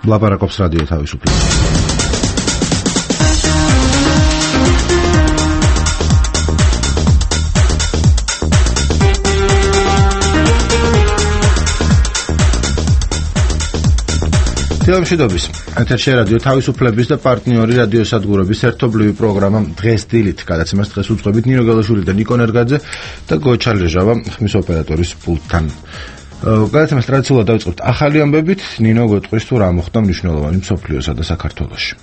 ლაპარაკობს რადიო თავისუფლება. თელემშვიდობის ეთერში რადიო თავისუფლების და პარტნიორი რადიოსადგურების ერთობლივი პროგრამა დღეს დილით გადაცემას დღეს უძღვებით ნინო გელოშვილი და ნიკო ნერგაძე და გოჩა ლეჟავა ხმის ოპერატორის პულტთან. გადაცემას ტრადიციულად დავიწყებთ ახალი ამბებით. ნინო გვეტყვის თუ რა მოხდა მნიშვნელოვანი მსოფლიოსა და საქართველოში.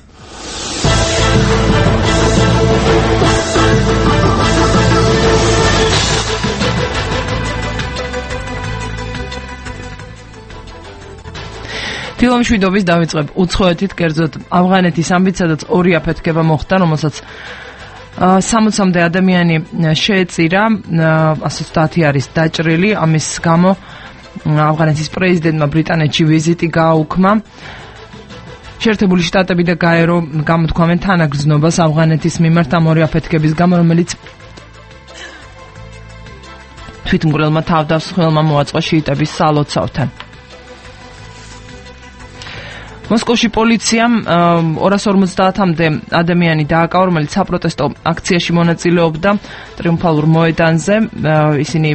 თილომშვიდობის დავიწყებ უცხოეთით, კერძოდ ავღანეთის ამბით, სადაც ორი აფეთქება მოხდა, რომელსაც 60-მდე ადამიანი შეეწირა, 130 არის დაჭრილი. ამის გამო ავღანეთის პრეზიდენტმა ბრიტანეთში ვიზიტი გააუქმა. შეერთებული შტატები და გაერო გამოთქვამენ თანაგრძნობას ავღანეთის მიმართ ამ ორი აფეთქების გამო, რომელიც თვითმკვლელმა თავდამსხმელმა მოაწყო შიიტების სალოცავთან. მოსკოვში პოლიციამ 250-მდე ადამიანი დააკავა, რომელიც საპროტესტო აქციაში მონაწილეობდა ტრიუმფალურ მოედანზე. ისინი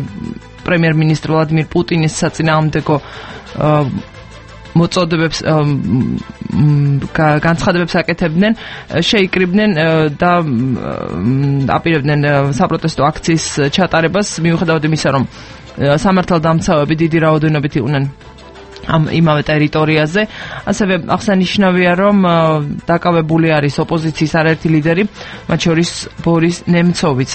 პრემიერ-მინისტრ ვლადიმირ პუტინის საწინააღმდეგო მოწოდებებს განცხადებებს აკეთებდნენ, შეიკრიბნენ და აპირებდნენ საპროტესტო აქციის ჩატარებას, მიუხედავად იმისა, რომ სამართალდამცავები დიდი რაოდენობით იყვნენ ამ იმავე ტერიტორიაზე. ასევე აღსანიშნავია, რომ დაკავებული არის ოპოზიციის არაერთი ლიდერი, მათ შორის ბორის ნემცოვიც.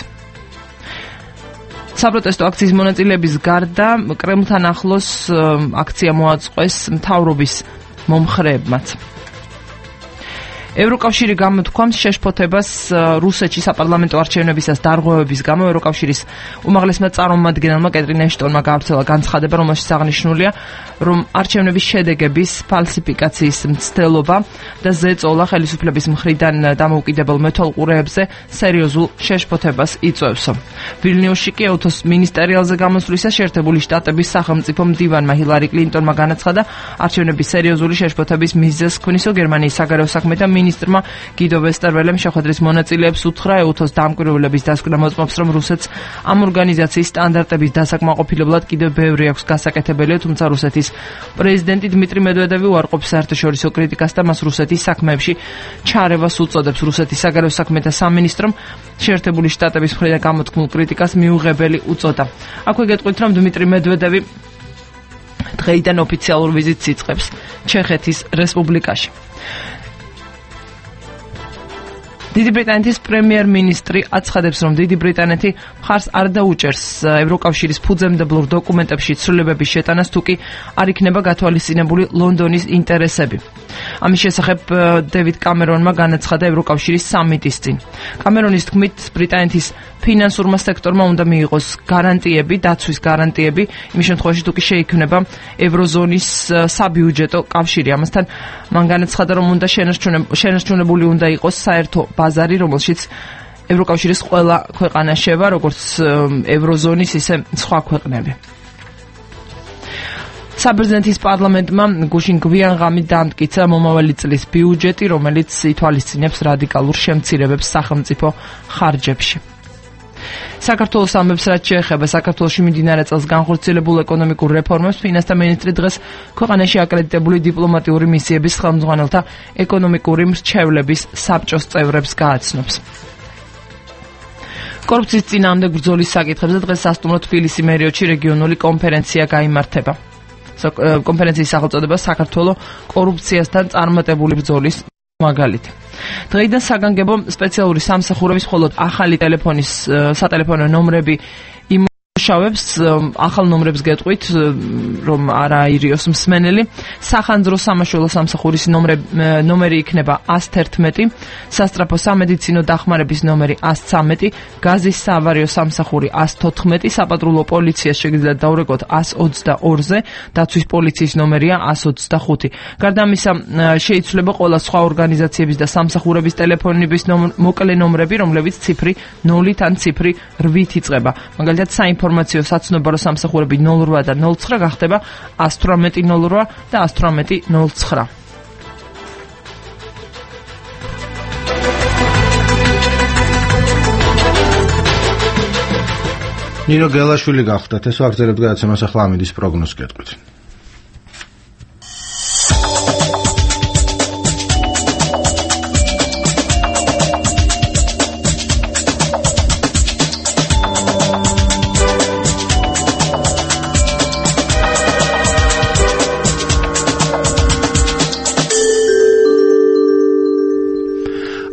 საპროტესტო აქციის მონაწილეების გარდა კრემლთან ახლოს აქცია მოაწყვეს მთავრობის მომხრეებმაც. ევროკავშირი გამოთქვამს შეშფოთებას რუსეთში საპარლამენტო არჩევნებისას დარღვევების გამო. ევროკავშირის უმაღლესმა წარმომადგენელმა კეტრინ ეშტონმა გაავრცელა განცხადება, რომელშიც აღნიშნულია, რომ არჩევნების შედეგების ფალსიფიკაციის მცდელობა და ზეწოლა ხელისუფლების მხრიდან დამოუკიდებელ მეთვალყურეებზე სერიოზულ შეშფოთებას იწვევსო. ვილნიუსში კი ეუთოს მინისტერიალზე გამოსვლისას შეერთებული შტატების სახელმწიფო მდივანმა ჰილარი კლინტონმა განაცხადა, არჩევნების სერიოზული შეშფოთების მიზეზს ქმნისო. გერმანიის საგარეო საქმეთა მინისტრმა გიდო ვესტერველემ შეხვედრის მონაწილეებს უთხრა, ეუთოს დამკვირვებლების დასკვნა მოწმობს, რომ რუსეთს ამ ორგანიზაციის სტანდარტების დასაკმაყოფილებლად კიდევ ბევრი აქვს გასაკეთებელი, თუმცა რუსეთის პრეზიდენტი დმიტრი მედვედევი უარყოფს საერთაშორისო კრიტიკას და მას რუსეთის საქმეებში ჩარევას უწოდებს. რუსეთის საგარეო საქმეთა სამინისტრომ შეერთებული შტატების მხრიდან გამოთქმულ კრიტიკას მიუღებელი უწოდა. აქვე გეტყვით, რომ დმიტრი მედვედევი დღეიდან ოფიციალურ ვიზიტს იწყებს ჩეხეთის რესპუბლიკაში. დიდი ბრიტანეთის პრემიერ-მინისტრი აცხადებს, რომ დიდი ბრიტანეთი მხარს არ დაუჭერს ევროკავშირის ფუძემდებლურ დოკუმენტებში ცვლილებების შეტანას, თუ კი არ იქნება გათვალისწინებული ლონდონის ინტერესები. ამის შესახებ დევიდ კამერონმა განაცხადა ევროკავშირის სამიტის წინ. კამერონის თქმით, ბრიტანეთის ფინანსურმა სექტორმა უნდა მიიღოს გარანტიები, დაცვის გარანტიები, იმ შემთხვევაში, თუ კი შეიქმნება ევროზონის საბიუჯეტო კავშირი. ამასთან მან განაცხადა, რომ უნდა შენარჩუნებული უნდა იყოს საერთო ბაზარი, რომელშიც ევროკავშირის ყველა ქვეყანა შევა, როგორც ევროზონის, ისე სხვა ქვეყნები. საბერძნეთის პარლამენტმა გუშინ გვიან ღამით დაამტკიცა მომავალი წლის ბიუჯეტი, რომელიც ითვალისწინებს რადიკალურ შემცირებებს სახელმწიფო ხარჯებში. საქართველოს ამბებს რაც შეეხება საქართველოში მიმდინარე წელს განხორციელებულ ეკონომიკურ რეფორმებს, ფინანსთა მინისტრი დღეს ქვეყანაში აკრედიტებული დიპლომატიური მისიების ხელმძღვანელთა ეკონომიკური მრჩევლების საბჭოს წევრებს გააცნობს. კორუფციის წინააღმდეგ ბრძოლის საკითხებზე დღეს სასტუმრო თბილისი მერიოტში რეგიონული კონფერენცია გაიმართება. კონფერენციის სახელწოდება საქართველო კორუფციასთან წარმატებული ბრძოლის მაგალითი. დღეიდან საგანგებო სპეციალური სამსახურების მხოლოდ ახალი ტელეფონის სატელეფონო ნომრები იმუშავებს. ახალ ნომრებს გეტყვით, რომ არა ირიოს მსმენელი. სახანძრო სამაშველო სამსახურის ნომერი იქნება 111, სასტრაფო სამედიცინო დახმარების ნომერი 113, გაზის საავარიო სამსახური 114, საპატრულო პოლიციას შეგიძლიათ დაურეკოთ 122-ზე, დაცვის პოლიციის ნომერია 125. გარდა ამისა, შეიცვლება ყველა სხვა ორგანიზაციების და სამსახურების ტელეფონების მოკლე ნომრები, რომლებიც ციფრი 0 ან ციფრი 8 იწყება. მაგალითად, საინფორმაციო საცნობარო სამსახურები 08 და 09 გახდება 118 08 და 118 09. ნინო გელაშვილი გახდათ, ეს ვაგრძელებთ გადაცემას, ახლა ამინდის პროგნოზს გეტყვით.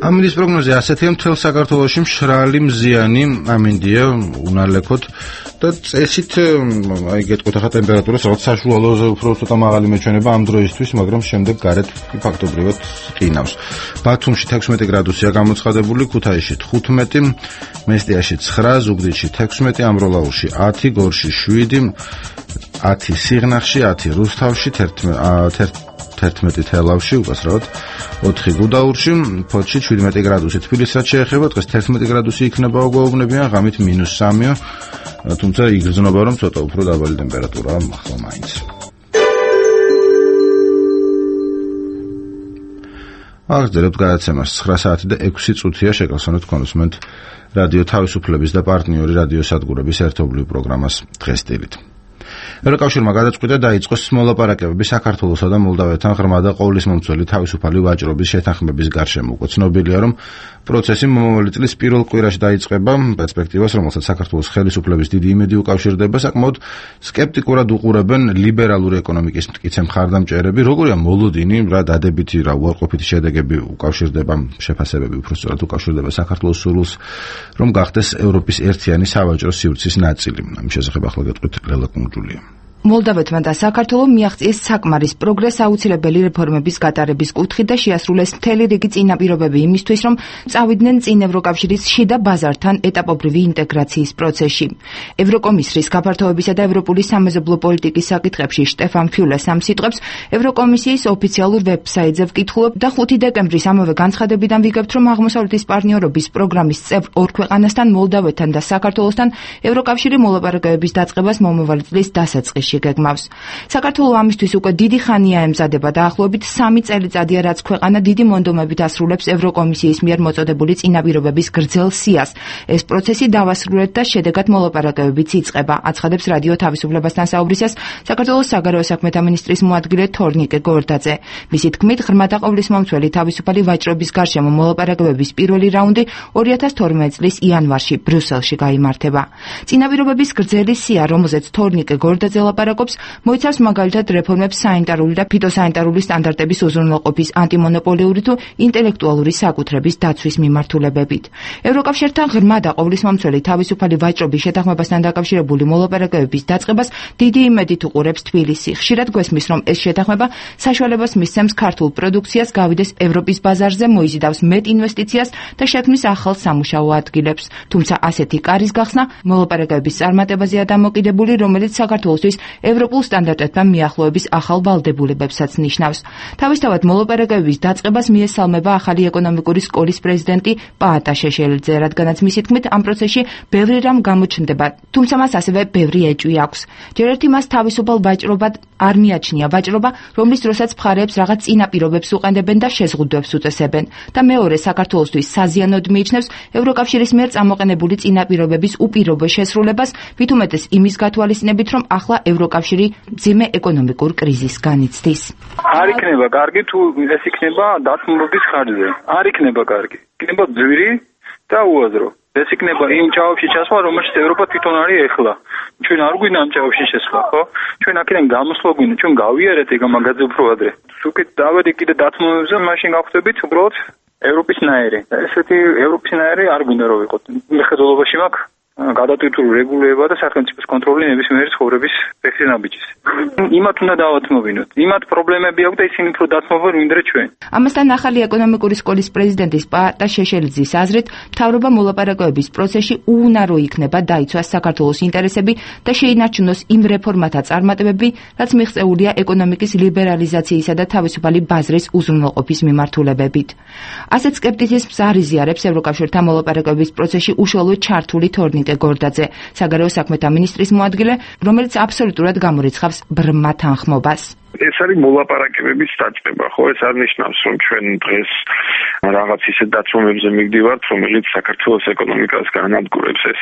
ამინდის პროგნოზი ასეთია, მთელ საქართველოში მშრალი მზიანი ამინდია უნალექოთ და წესით აი გეტყვით ახლა ტემპერატურას რაღაც საშუალოზე უფრო ცოტა მაღალი მეჩვენება ამ დროისთვის, მაგრამ შემდეგ გარეთ ფაქტობრივად ყინავს. ბათუმში 16 გრადუსია გამოცხადებული, ქუთაისში 15, მესტიაში 9, ზუგდიდში 16, ამროლაურში 10, გორში 7, 10 სიღნაღში, 10 რუსთავში, 11 თელავში, უკასრავად 4 გუდაურში, ფოთში 17 გრადუსი. თბილისსაც შეეხება, დღეს 11 გრადუსი იქნება უგუობნებიან, ღამით -3-ია, თუმცა იგრძნობა რომ ცოტა უფრო დაბალი ტემპერატურაა ახლა მაინც. აღძლებთ გადაცემას 9 საათი და 6 წუთია, შეგახსენოთ კონსუმენტ რადიო თავისუფლების და პარტნიორი რადიოსადგურების ერთობლივ პროგრამას დღესდღეობით. ევროკავშირმა გადაწყვიტა დაიწყოს მოლაპარაკებები საქართველოსა და მოლდავეთთან ღრმა და ყოვლისმომცველი თავისუფალი ვაჭრობის შეთანხმების გარშემო. უკვე ცნობილია, რომ პროცესი მომავალი წლის პირველ კვირაში დაიწყება, პერსპექტივას, რომელსაც საქართველოს ხელისუფლების დიდი იმედი უკავშირდება, საკმაოდ სკეპტიკურად უყურებენ ლიბერალური ეკონომიკის მტკიცე მხარდამჭერები, როგორია მოლოდინი, რა დადებითი, რა უარყოფითი შედეგები უკავშირდება, შეფასებები უბრალოდ უკავშირდება საქართველოს სურვილს, რომ გახდეს ევროპის ერთიანი სავაჭრო სივრცის ნაწილი. ამ შესახებ ახლა გეტყვით ლელა კუნჯულია. მოლდავეთმა და საქართველომ მიაღწიეს საკმარის პროგრესს აუცილებელი რეფორმების გატარების კუთხით და შეასრულეს მთელი რიგი წინაპირობები იმისთვის, რომ წავიდნენ წინ ევროკავშირის შიდა ბაზართან ეტაპობრივი ინტეგრაციის პროცესში. ევროკომისრის გაფართოებისა და ევროპული სამეზობლო პოლიტიკის საკითხებში შტეფან ფიულეს ამ სიტყვებს ევროკომისიის ოფიციალურ ვებსაიტზე ვკითხულობ და 5 დეკემბრის ამავე განცხადებიდან ვიგებთ, რომ აღმოსავლეთის პარტნიორობის პროგრამის წევრ ორ ქვეყანასთან, მოლდავეთთან და საქართველოსთან ევროკავშირი მოლაპარაკებების დაწყებას მომავალი წლის დასაწყისში გეგმავს. საქართველო ამისთვის უკვე დიდი ხანია ემზადება და ახლობით 3 წელიწადია, რაც ქვეყანა დიდი მონდომებით ასრულებს ევროკომისიის მიერ მოწოდებული წინაპირობების გრძელ სიას. ეს პროცესი დავასრულეთ და შედეგად მოლაპარაკებებიც იწყება, აცხადებს რადიო თავისუფლებასთან საუბრისას საქართველოს საგარეო საქმეთა მინისტრის მოადგილე თორნიკე გორდაძე. მისი თქმით, ღრმა და ყოვლისმომცველი თავისუფალი ვაჭრობის გარშემო მოლაპარაკებების პირველი რაუნდი 2012 წლის იანვარში ბრიუსელში გაიმართება. წინაპირობების გრძელი სია, რომელზეც თორნიკე გორდაძე ლაპარაკობს, მოიცავს მაგალითად რეფორმებს საინტარული და ფიტოსანიტარული სტანდარტების უზრუნველყოფის, ანტიმონოპოლიური თუ ინტელექტუალური საკუთრების დაცვის მიმართულებებით. ევროკავშირთან ღრმა და ყოვლისმომცველი თავისუფალი ვაჭრობის შეთანხმებასთან დაკავშირებული მოლაპარაკებების დაწყებას დიდი იმედით უყურებს თბილისი. ხშირად გვესმის, რომ ეს შეთანხმება საშუალებას მისცემს ქართულ პროდუქციას გავიდეს ევროპის ბაზარზე, მოიზიდავს მეტ ინვესტიციას და შექმნის ახალ სამუშაო ადგილებს. თუმცა ასეთი კარის გახსნა მოლაპარაკებების წარმატებაზეა დამოკიდებული, რომელიც საქართველოსთვის ევროპულ სტანდარტებთან მიახლოების ახალ ვალდებულებებსაც ნიშნავს. თავისთავად მოლაპარაკებების დაწყებას მიესალმება ახალი ეკონომიკური სკოლის პრეზიდენტი პაატა შეშელიძე, რადგანაც მისი თქმით ამ პროცესში ბევრი რამ გამოჩნდება, თუმცა მას ასევე ბევრი ეჭვი აქვს. ჯერ ერთი მას თავისუფალ ვაჭრობად არ მიაჩნია ვაჭრობა, რომლის დროსაც მხარეებს რაღაც წინაპირობებს უყენდებენ და შეზღუდვებს უწესებენ და მეორე საქართველოსთვის საზიანოდ მიიჩნევს ევროკავშირის მიერ წამოყენებული წინაპირობების უპირობო შესრულებას, ვით უმეტეს იმის გათვალისწინებით, რომ ახლა ევროკავშირი მძიმე ეკონომიკურ კრიზისს განიცდის. არ იქნება კარგი თუ ეს იქნება დათმობების ხარჯზე. არ იქნება კარგი. იქნება ძვირი და უაზრო. ეს იქნება იმ ჭაობში ჩასვლა, რომელშიც ევროპა თვითონ არის ეხლა. ჩვენ არ გვინდა ამ ჭაობში შესვლა, ხო? ჩვენ აქედან გამოსვლა გვინდა, ჩვენ გავიარეთ ეგ მაგაზე უფრო ადრე. უკეთ დავედი კიდე დათმობებზე, მაშინ გავხდებით უბრალოდ ევროპის ნაერი. ესეთი ევროპის ნაერი არ გვინდა რომ ვიყოთ. მხედველობაში მაქვს გადატვირთული რეგულირება და სახელმწიფოს კონტროლი ნებისმიერი ცხოვრების ფექსინაბიჯის. იმათ უნდა დავათმობინოთ. იმათ პრობლემები აქვს და ისინი უფრო დათმობენ ვინდრე ჩვენ. ამასთან ახალი ეკონომიკური სკოლის პრეზიდენტის პაატა შეშელიძის აზრით, მთავრობა მოლაპარაკებების პროცესში უუნარო იქნება დაიცვას საქართველოს ინტერესები და შეინარჩუნოს იმ რეფორმათა წარმატებები, რაც მიღწეულია ეკონომიკის ლიბერალიზაციისა და თავისუფალი ბაზრის უზრუნველყოფის მიმართულებებით. ასეთ სკეპტიციზმს არ იზიარებს ევროკავშირთან მოლაპარაკებების პროცესში უშუალოდ ჩართული თორნიკე გორდაძე, საგარეო საქმეთა მინისტრის მოადგილე, რომელიც აბსოლუტურად გამორიცხავს ბრმა თანხმობას. ეს არის მოლაპარაკებების დაწყება, ხო? ეს არ ნიშნავს, რომ ჩვენ დღეს რაღაც ისეთ დათრომებზე მივდივართ, რომელიც საქართველოს ეკონომიკას განადგურებს. ეს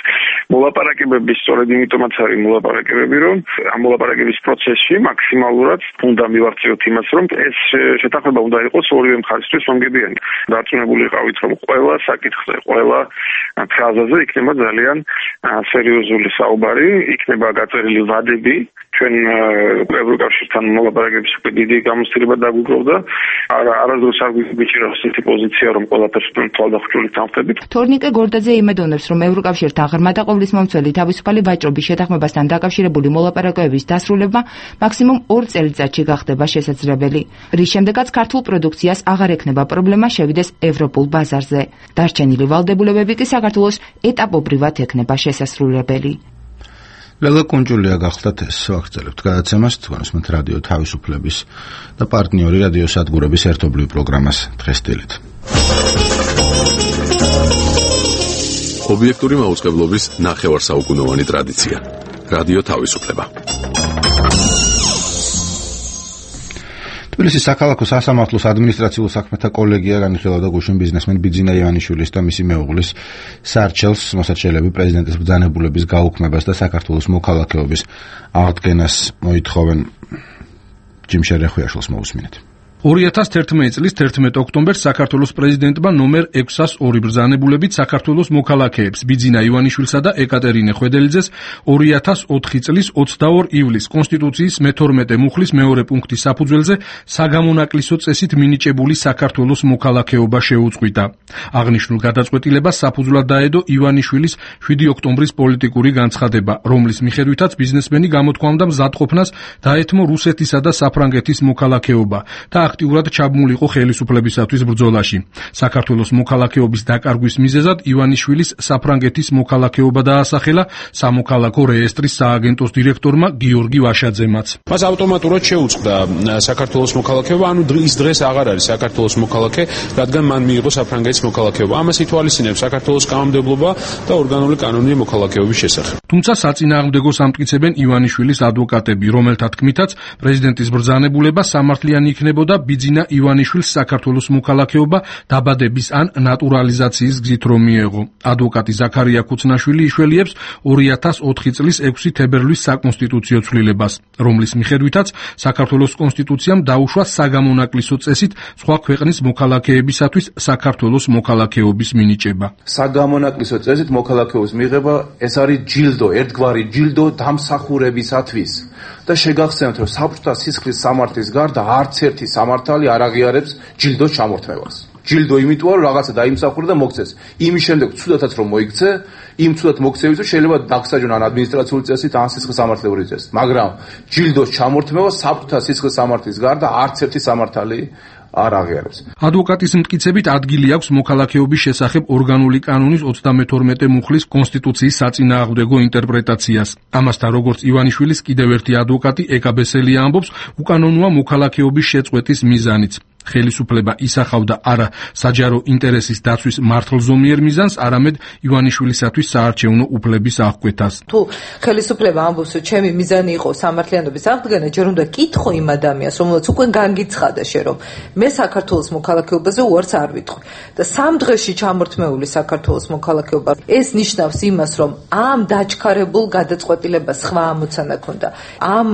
მოლაპარაკებების სწორედ იმიტომაც არის მოლაპარაკებები, რომ ამ მოლაპარაკების პროცესში მაქსიმალურად უნდა მივახციოთ იმას, რომ ეს შეთანხმება უნდა იყოს ორივე მხარისთვის მომგებიანი. დარწმუნებული ვიყავით, რომ ყველა საკითხზე, ყველა ფრაზაზე იქნება ძალიან სერიოზული საუბარი, იქნება გაწერილი ვადები. ჩვენ ევროკავშირთან მოლაპარაკების უკვე დიდი გამოცდილება დაგვიგროვდა. არასდროს არ გვიჭირავს ისეთი პოზიცია, რომ ყველაფერს თვალდახშული თანხმდებით. თორნიკე გორდაძე იმედოვნებს, რომ ევროკავშირთან ღრმა და ყოვლისმომცველი თავისუფალი ვაჭრობის შეთანხმებასთან დაკავშირებული მოლაპარაკებების დასრულება მაქსიმუმ 2 წელიწადში გახდება შესაძლებელი, რის შემდეგაც ქართულ პროდუქციას აღარ ექნება პრობლემა შევიდეს ევროპულ ბაზარზე. დარჩენილი ვალდებულებები კი საქართველოს ეტაპობრივად ექნება შესასრულებელი. ლელა კუნჯულია გახლდათ ეს ვაგრძელებთ გადაცემას თქვენსმეთ რადიო თავისუფლების და პარტნიორი რადიო სადგურების ერთობლივ პროგრამას დღესდღეობით. ობიექტური მაუწყებლობის ნახევარსაუკუნოვანი ტრადიცია. რადიო თავისუფლება. თბილისის საქალაქო სასამართლოს ადმინისტრაციულ საქმეთა კოლეგია განიხილავდა გუშინ ბიზნესმენ ბიძინა ივანიშვილის და მისი მეუღლის სარჩელს მოსაჩელები პრეზიდენტის ბრძანებულების გაუქმებას და საქართველოს მოქალაქეობის აღდგენას მოითხოვენ. ჯიმშერ რეხვიაშვილს მოусმინეთ. 2011 წლის 11 ოქტომბერს საქართველოს პრეზიდენტმა ნომერ 602 ბრძანებულებით საქართველოს მოქალაქეებს ბიძინა ივანიშვილსა და ეკატერინე ხვედელიძეს 2004 წლის 22 ივლისს კონსტიტუციის მე-12 მუხლის მეორე პუნქტის საფუძველზე საგამონაკლისო წესით მინიჭებული საქართველოს მოქალაქეობა შეუწყვიტა. აღნიშნულ გადაწყვეტილებას საფუძვლად დაედო ივანიშვილის 7 ოქტომბრის პოლიტიკური განცხადება, რომლის მიხედვითაც ბიზნესმენი გამოთქვამდა მზადყოფნას დაეთმო რუსეთისა და საფრანგეთის მოქალაქეობა და აქტიურად ჩაბმულიყო ხელისუფლებისათვის ბრძოლაში. საქართველოს მოქალაქეობის დაკარგვის მიზეზად ივანიშვილის საფრანგეთის მოქალაქეობა დაასახელა სამოქალაქო რეესტრის სააგენტოს დირექტორმა გიორგი ვაშაძემაც. მას ავტომატურად შეუწყდა საქართველოს მოქალაქეობა, ანუ ის დღეს აღარ არის საქართველოს მოქალაქე, რადგან მან მიიღო საფრანგეთის მოქალაქეობა. ამას ითვალისწინებს საქართველოს კანონმდებლობა და ორგანული კანონი მოქალაქეობის შესახებ. თუმცა საწინააღმდეგოს ამტკიცებენ ივანიშვილის ადვოკატები, რომელთა თქმითაც პრეზიდენტის ბრძანებულება სამართლიანი იქნებოდა ბიძინა ივანიშვილს საქართველოს მოქალაქეობა დაბადების ან ნატურალიზაციის გზით რომ მიეღო. ადვოკატი ზაქარია ქუცნაშვილი იშველიებს 2004 წლის 6 თებერვლის საკონსტიტუციო ცვლილებას, რომლის მიხედვითაც საქართველოს კონსტიტუციამ დაუშვა საგამონაკლისო წესით სხვა ქვეყნის მოქალაქეებისათვის საქართველოს მოქალაქეობის მინიჭება. საგამონაკლისო წესით მოქალაქეობის მიღება ეს არის ჯილდო, ერთგვარი ჯილდო დამსახურებისათვის. და შეგახსენებთ, რომ საბჭოთა სისხლის სამართლის გარდა არც ერთი სამართალი არ აღიარებს ჯილდოს ჩამორთმევას. ჯილდო იმიტომ, რომ რაღაცა დაიმსახურა და მოგცეს. იმის შემდეგ ცუდათაც რომ მოიქცე, იმ ცუდად მოქცევისთვის შეიძლება დაგსაჯონ ან ადმინისტრაციული წესით, ან სისხლის სამართლებრივი წესით. მაგრამ ჯილდოს ჩამორთმევა საბჭოთა სისხლის სამართლის გარდა არც ერთი სამართალი არ აღიარებს. ადვოკატის მტკიცებით ადგილი აქვს მოქალაქეობის შესახებ ორგანული კანონის 32 მუხლის კონსტიტუციის საწინააღმდეგო ინტერპრეტაციას. ამასთან, როგორც ივანიშვილის კიდევ ერთი ადვოკატი ეკაბესელია ამბობს, უკანონოა მოქალაქეობის შეწყვეტის მიზანიც. ხელისუფლება ისახავდა არა საჯარო ინტერესის დაცვის მართლზომიერ მიზანს, არამედ ივანიშვილისათვის საარჩევნო უფლების აღკვეთას. თუ ხელისუფლება ამბობს, რომ ჩემი მიზანი იყო სამართლიანობის აღდგენა, ჯერ უნდა კითხო იმ ადამიანს, რომელსაც უკვე განგიცხადა რომ მე საქართველოს მოქალაქეობაზე უარს არ ვიტყვი და 3 დღეში ჩამორთმეული საქართველოს მოქალაქეობა. ეს ნიშნავს იმას, რომ ამ დაჩქარებულ გადაწყვეტილებას სხვა ამოცანა ქონდა. ამ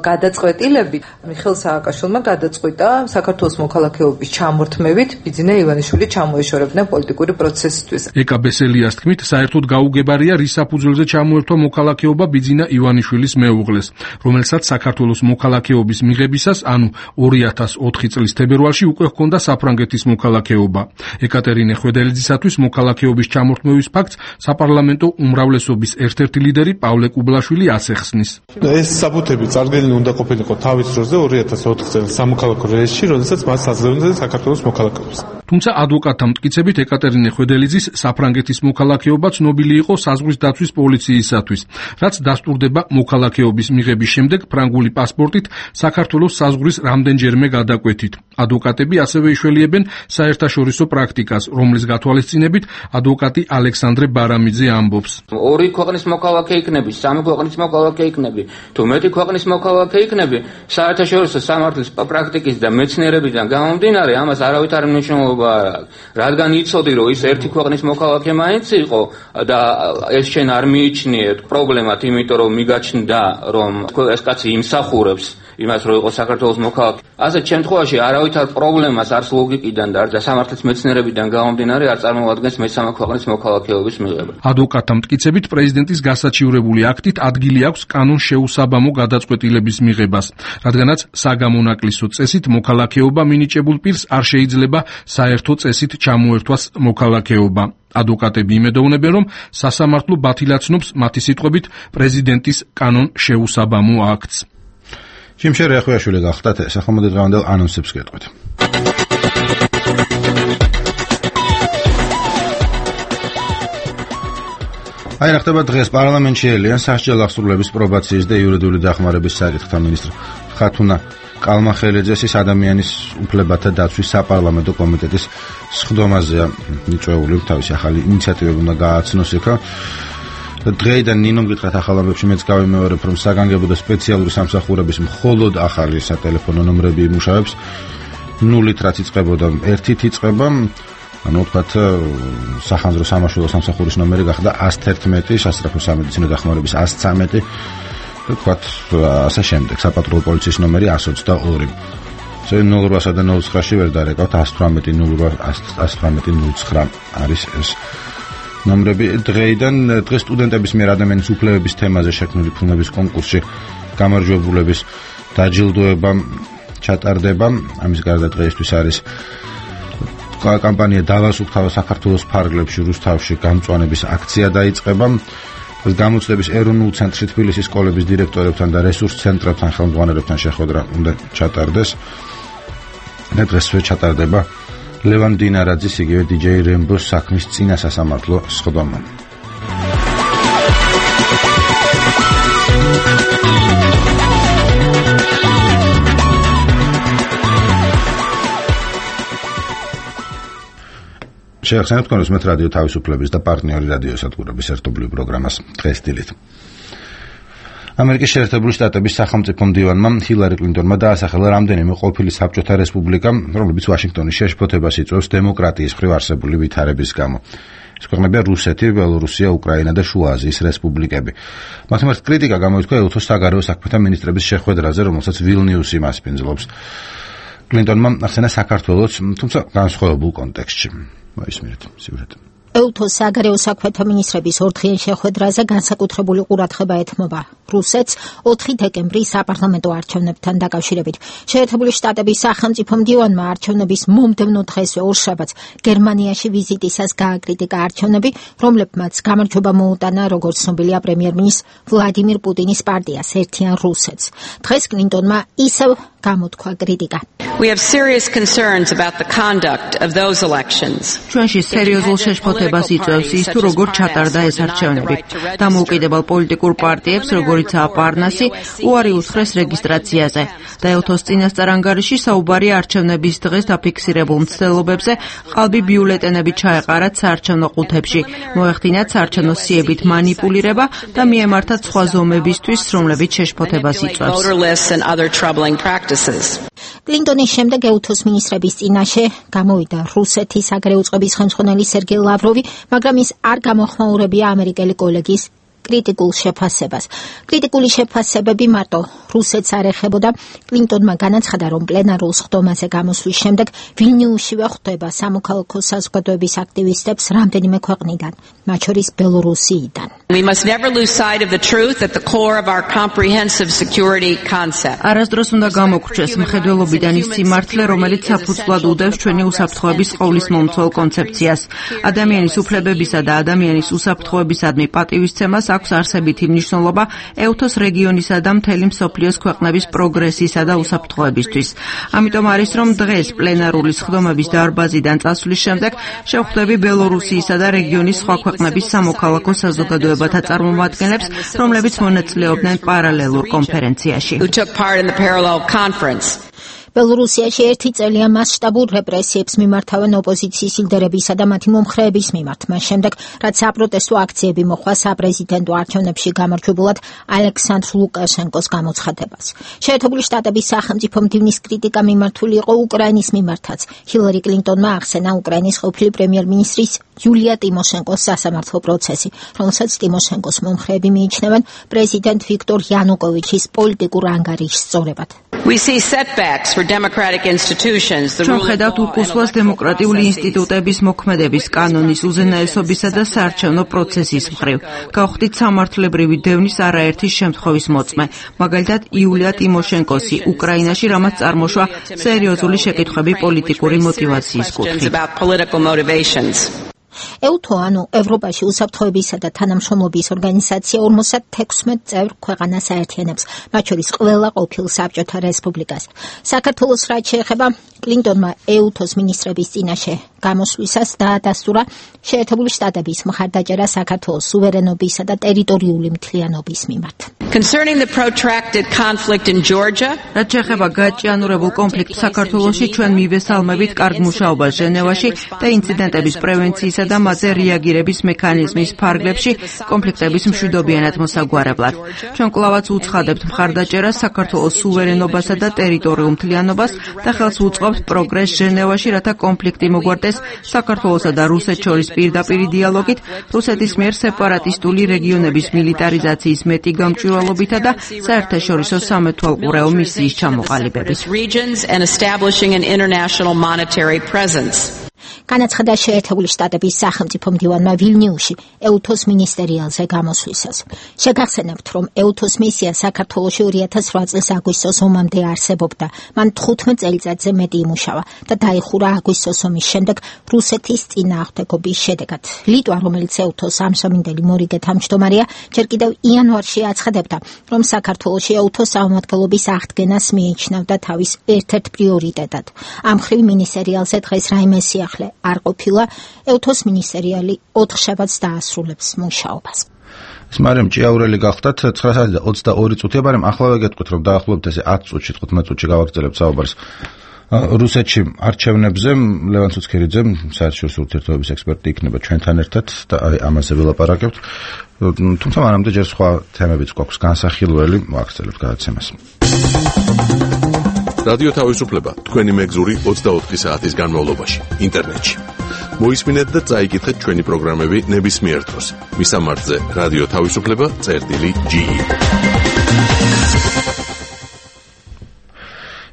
გადაწყვეტილებით მიხეილ სააკაშვილმა გადაწყვიტა საქართველოს მოქალაქეობის ჩამორთმევით ბიძინა ივანიშვილი ჩამოეშორებინა პოლიტიკური პროცესისთვის. ეკაბესელიას თქმით, საერთოდ გაუგებარია რის საფუძველზე ჩამოერთვა მოქალაქეობა ბიძინა ივანიშვილის მეუღლეს, რომელსაც საქართველოს მოქალაქეობის მიღებისას, ანუ 2004 წლის თებერვალში უკვე ჰქონდა საფრანგეთის მოქალაქეობა. ეკატერინე ხვედელიძისათვის მოქალაქეობის ჩამორთმევის ფაქტს საპარლამენტო უმრავლესობის ერთ-ერთი ლიდერი პავლე კუბლაშვილი ასახსნის. ეს საბუთები წარდგენილი უნდა ყოფილიყო თავის დროზე 2004 წელს სამოქალაქო რეესტრში, როდესაც მას აძლევდნენ საქართველოს მოქალაქეობას. თუმცა ადვოკატთა მტკიცებით ეკატერინე ხვედელიძის საფრანგეთის მოქალაქეობა ცნობილი იყო საზღვრის დაცვის პოლიციისათვის, რაც დასტურდება მოქალაქეობის მიღების შემდეგ ფრანგული პასპორტით საქართველოს საზღვრის რამდენჯერმე გადაკვეთით. ადვოკატები ასევე იშველიებენ საერთაშორისო პრაქტიკას, რომლის გათვალისწინებით ადვოკატი ალექსანდრე ბარამიძე ამბობს. ორი ქვეყნის მოქალაქე იქნები, სამი ქვეყნის მოქალაქე იქნები, თუ მეტი ქვეყნის მოქალაქე იქნები, საერთაშორისო სამართლის პრაქტიკის და მეცნიერებიდან გამომდინარე, ამას არავითარი მნიშვნელობა არ აქვს. რადგან იცოდი, რომ ის ერთი ქვეყნის მოქალაქე მაინც იყო და ეს შენ არ მიიჩნიე პრობლემად, იმიტომ რომ მიგაჩნდა, რომ ეს კაცი იმსახურებს იმას, რომ იყო საქართველოს მოქალაქე. ასეთ შემთხვევაში არავითარ პრობლემას არც ლოგიკიდან და სამართლის მეცნიერებიდან გამომდინარე არ წარმოადგენს მესამე ქვეყნის მოქალაქეობის მიღება. ადვოკატთა მტკიცებით პრეზიდენტის გასაჩივრებული აქტით ადგილი აქვს კანონ შეუსაბამო გადაწყვეტილების მიღებას, რადგანაც საგამონაკლისო წესით მოქალაქეობა მინიჭებულ პირს არ შეიძლება საერთო წესით ჩამოერთვას მოქალაქეობა. ადვოკატები იმედოვნებენ, რომ სასამართლო ბათილაცნობს მათი სიტყვებით პრეზიდენტის კანონ შეუსაბამო აქტს. ჯიმშე რეხვიაშვილი გახდათ ეს ახლა დღევანდელ ანონსებს გეტყვით. აი ხდება დღეს პარლამენტში ელიან სასჯელ აღსრულების პრობაციის და იურიდიული დახმარების საკითხთა მინისტრი ხათუნა კალმახელიძეს ადამიანის უფლებათა დაცვის საპარლამენტო კომიტეტის სხდომაზეა მიწვეული თავისი ახალი ინიციატივები უნდა გააცნოს იქა. დღეიდან ნინომ გითხრათ ახალ ამბებში მეც გავიმეორებ, რომ საგანგებო და სპეციალური სამსახურების მხოლოდ ახალი სატელეფონო ნომრები იმუშავებს, 0-ით რაც იწყებოდა 1-ით იწყება, ანუ ვთქვათ სახანძრო სამაშველო სამსახურის ნომერი გახდა 111, სასწრაფო სამედიცინო დახმარების 113, ვთქვათ ასე შემდეგ, საპატრულო პოლიციის ნომერი 122. ზოგადად 0800 და 0900-ში ვერ დარეკავთ 118 118 09 არის ეს ნომრები. დღეს სტუდენტების მიერ ადამიანის უფლებების თემაზე შექმნილი ფილმების კონკურსში გამარჯვებულების დაჯილდოება ჩატარდება. ამის გარდა დღეისთვის არის კამპანია დავასუფთავო საქართველოს ფარგლებში რუსთავში გამწვანების აქცია დაიწყება. გამოცდების ეროვნულ ცენტრში თბილისის სკოლების დირექტორებთან და რესურს ცენტრებთან ხელმძღვანელებთან შეხვედრა უნდა ჩატარდეს. და დღესვე ჩატარდება ლევან დინარაძის იგივე DJ რემბოს საქმის წინა სასამართლო სხდომა. შეხსენებთ კონდეს მე რადიო თავისუფლების და პარტნიორი რადიო სადგურების ერთობლივ პროგრამას დღეს დილით. ამერიკის შეერთებული შტატების სახელმწიფო მდივანმა ჰილარი კლინტონმა დაასახელა რამდენიმე ყოფილი საბჭოთა რესპუბლიკა, რომლებიც ვაშინგტონის შეშფოთებას იწვევს დემოკრატიის მხრივ არსებული ვითარების გამო. ეს ქვეყნებია რუსეთი, ბელორუსია, უკრაინა და შუა აზიის რესპუბლიკები. მათ მიმართ კრიტიკა გამოიწვია ელთოს საგარეო საქმეთა მინისტრების შეხვედრაზე, რომელსაც ვილნიუსი მასპინძლობს. კლინტონმა ახსენა საქართველოს, თუმცა განსხვავებულ კონტექსტში. მოისმინეთ სიუჟეტი. ელთოს საგარეო საქმეთა მინისტრების ორდღიან შეხვედრაზე განსაკუთრებული ყურადღება ეთმობა რუსეთს 4 დეკემბრის საპარლამენტო არჩევნებთან დაკავშირებით. შეერთებული შტატების სახელმწიფო მდივანმა არჩევნების მომდევნო დღესვე ორშაბათს გერმანიაში ვიზიტისას გააკრიტიკა არჩევნები, რომლებმაც გამარჯვება მოუტანა როგორც ცნობილია პრემიერ-მინისტრ ვლადიმირ პუტინის პარტიას ერთიან რუსეთს. დღეს კლინტონმა ისევ გამოთქვა კრიტიკა. We have serious concerns about the conduct of those elections. ჩვენში სერიოზულ შეშფოთებას იწვევს ის, თუ როგორ ჩატარდა ეს არჩევნები. დამოუკიდებელ პოლიტიკურ პარტიებს, როგორიცაა პარნასი, უარი უთხრეს რეგისტრაციაზე. და ელთოს წინასწარ ანგარიში საუბარია არჩევნების დღეს დაფიქსირებულ მცდელობებზე, ყალბი ბიულეტენები ჩაეყარათ საარჩევნო ყუთებში, მოეხდინათ საარჩევნო სიებით მანიპულირება და მიემართათ სხვა ზომებისთვის, რომლებიც შეშფოთებას იწვევს. კლინტონის შემდეგ ელთოს მინისტრების წინაშე გამოვიდა რუსეთის საგარეო წყობის ხელმძღვანელი სერგეი ლავროვი, მაგრამ ის არ გამოხმაურებია ამერიკელი კოლეგის კრიტიკულ შეფასებას. კრიტიკული შეფასებები მარტო რუსეთს არ ეხებოდა. კლინტონმა განაცხადა, რომ პლენარულ სხდომაზე გამოსვლის შემდეგ ვილნიუსშივე ხვდება სამოქალაქო საზოგადოების აქტივისტებს რამდენიმე ქვეყნიდან, მათ შორის ბელორუსიიდან. We must never lose sight of the truth at the core of our comprehensive security concept. არასდროს უნდა გამოგრჩეს მხედველობიდან ის სიმართლე, რომელიც საფუძვლად უდევს ჩვენი უსაფრთხოების ყოვლისმომცველ კონცეფციას. ადამიანის უფლებებისა და ადამიანის უსაფრთხოებისადმი პატივისცემას აქვს არსებითი მნიშვნელობა ეუთოს რეგიონისა და მთელი მსოფლიოს ქვეყნების პროგრესისა და უსაფრთხოებისთვის. ამიტომ არის, რომ დღეს პლენარული სხდომების დარბაზიდან წასვლის შემდეგ შევხვდები ბელორუსიისა და რეგიონის სხვა ქვეყნების სამოქალაქო საზოგადოებათა წარმომადგენლებს, რომლებიც მონაწილეობდნენ პარალელურ კონფერენციაში. ბელორუსიაში ერთი წელია მასშტაბურ რეპრესიებს მიმართავენ ოპოზიციის ლიდერებისა და მათი მომხრეების მიმართ. მას შემდეგ, რაც საპროტესტო აქციები მოხდა საპრეზიდენტო არჩევნებში გამარჯვებულად ალექსანდრ ლუკაშენკოს გამოცხადებას. შეერთებული შტატების სახელმწიფო მდივნის კრიტიკა მიმართული იყო უკრაინის მიმართაც. ჰილარი კლინტონმა ახსენა უკრაინის ყოფილი პრემიერ-მინისტრის იულია ტიმოშენკოს სასამართლო პროცესი, რომელსაც ტიმოშენკოს მომხრეები მიიჩნევენ პრეზიდენტ ვიქტორ იანუკოვიჩის პოლიტიკურ ანგარიშს სწორებად. ჩვენ ხედავთ უკუსლას დემოკრატიული ინსტიტუტების მოქმედების კანონის უზენაესობისა და საარჩევნო პროცესის მხრივ. გავხდით სამართლებრივი დევნის არაერთი შემთხვევის მოწმე, მაგალითად იულია ტიმოშენკოსი უკრაინაში, რამაც წარმოშვა სერიოზული შეკითხვები პოლიტიკური მოტივაციის კუთხით. EUTO, ანუ ევროპაში უსაფრთხოებისა და თანამშრომლობის ორგანიზაცია 56 წევრ ქვეყანას აერთიანებს, მათ შორის ყველა ყოფილ საბჭოთა რესპუბლიკას. საქართველოს რაც შეეხება კლინტონმა EUTO-ს მინისტრების წინაშე გამოსვლისას დაადასტურა შეერთებული შტატების მხარდაჭერა საქართველოს სუვერენობისა და ტერიტორიული მთლიანობის მიმართ. რაც შეეხება გაჭიანურებულ კონფლიქტს საქართველოში, ჩვენ მივესალმებით კარგ მუშაობას ჟენევაში და ინციდენტების პრევენციისა და მათზე რეაგირების მექანიზმის ფარგლებში კონფლიქტების მშვიდობიანად მოსაგვარებლად. ჩვენ კვლავაც უცხადებთ მხარდაჭერას საქართველოს სუვერენობასა და ტერიტორიულ მთლიანობას და ხელს უწყობთ პროგრესს ჟენევაში, რათა კონფლიქტი მოგვარდეს საქართველოსა და რუსეთს შორის პირდაპირი დიალოგით, რუსეთის მიერ სეპარატისტული რეგიონების მილიტარიზაციის მეტი გამჭვირვალობითა და საერთაშორისო სამეთვალყურეო მისიის ჩამოყალიბებით. განაცხადა შეერთებული შტატების სახელმწიფო მდივანმა ვილნიუსში EUTO-ს მინისტერიალზე გამოსვლისას. შეგახსენებთ, რომ EUTO-ს მისია საქართველოში 2008 წლის აგვისტოს ომამდე არსებობდა. მან 15 წელიწადზე მეტი იმუშავა და დაიხურა აგვისტოს ომის შემდეგ რუსეთის წინააღმდეგობის შედეგად. ლიტვა, რომელიც EUTO-ს ამჟამინდელი მორიგე თავმჯდომარეა, ჯერ კიდევ იანვარში აცხადებდა, რომ საქართველოში EUTO-ს წარმომადგენლობის აღდგენას მიიჩნევდა თავის ერთ-ერთ პრიორიტეტად. ამ მხრივ მინისტერიალზე დღეს რაიმე სიახლე არ ყოფილა. EUTO-ს მინისტერიალი 4 შაბათს დაასრულებს მუშაობას. მარიამ ჭიაურელი გახდათ 9:22 წუთია, მაგრამ ახლა ვეგეთქვით, რომ დაახლოებით ესე 10 წუთში, 15 წუთში გავაგრძელებთ საუბარს რუსეთში არჩევნებზე. ლევან ცუცქერიძე, საერთაშორისო ურთიერთობების ექსპერტი იქნება ჩვენთან ერთად და ამაზე ველაპარაკებთ. თუმცა მანამდე ჯერ სხვა თემებიც გვაქვს განსახილველი, ვაგრძელებთ გადაცემას. რადიო თავისუფლება, თქვენი მეგზური 24 საათის განმავლობაში, ინტერნეტში. მოისმინეთ და წაიკითხეთ ჩვენი პროგრამები ნებისმიერ დროს. მისამართზე რადიო თავისუფლება.ge.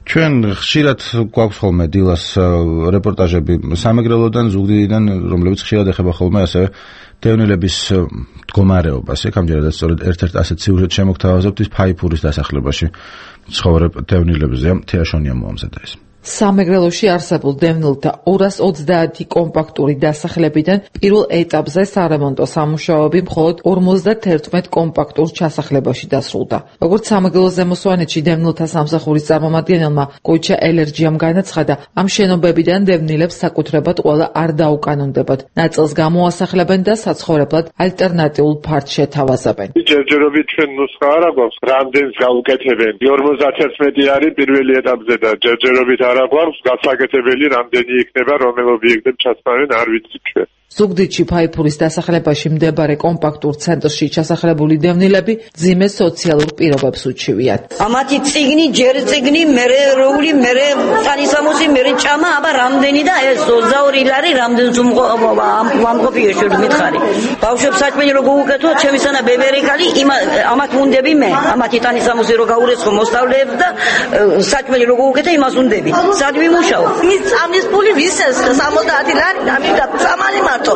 ჩვენ ხშირად გვაქვს ხოლმე დილას რეპორტაჟები სამეგრელოდან, ზუგდიდიდან, რომლებიც ხშირად ეხება ხოლმე ასევე დევნილების მდგომარეობას. ამჯერადაც სწორედ ერთ-ერთ ასეთ სიუჟეტს შემოგთავაზებთ ის ფაიფურის დასახლებაში ცხოვრებ დევნილებზე. თეაშონია მოამზადა ეს. სამეგრელოში არსებულ დევნილთა 230 კომპაქტური დასახლებიდან პირველ ეტაპზე სარემონტო სამუშაოები მხოლოდ 51 კომპაქტურ ჩასახლებაში დასრულდა. როგორც სამეგრელოს ზემოსვანეთში დევნილთა სამსახურის წარმომადგენელმა კოიჩა ელერჯიამ განაცხადა, ამ შენობებიდან დევნილებს საკუთრებად ყველა არ დაუკანონდებათ. ნაწილს გამოასახლებენ და საცხოვრებლად ალტერნატიულ ფარდს შეთავაზებენ. ჯერჯერობით ჩვენ ნუსხა არ აქვს, რამდენს გაუკეთებენ. 51 არის პირველი ეტაპზე და ჯერჯერობით გვაქვს გასაკეთებელი რამდენი იქნება, რომელ ობიექტებს ჩასწავენ, არ ვიცი ჩვენ. ზუგდიდში ფაიფურის დასახლებაში მდებარე კომპაქტურ ცენტრში ჩასახლებული დევნილები ძიმე სოციალურ პირობებს უჩივიათ. ამათი წიგნი, ჯერ წიგნი, მერე როული, მერე თანისამოსი, მერე ჭამა, აბა რამდენი და ეს 22 ლარი რამდენს ამყოფია შეიძლება მითხარი. ბავშვებს საჭმელი რო გუუკეთო, ჩემი სანა ბებერიკალი, ამათ უნდები მე, ამათი თანისამოსი რო გაურეცხო მოსწავლეებს და საჭმელი რო გუუკეთე, იმას უნდები. სად ვიმუშაო? მის წამის ფული ვისეს 70 ლარი დამიდა წამალი მარტო.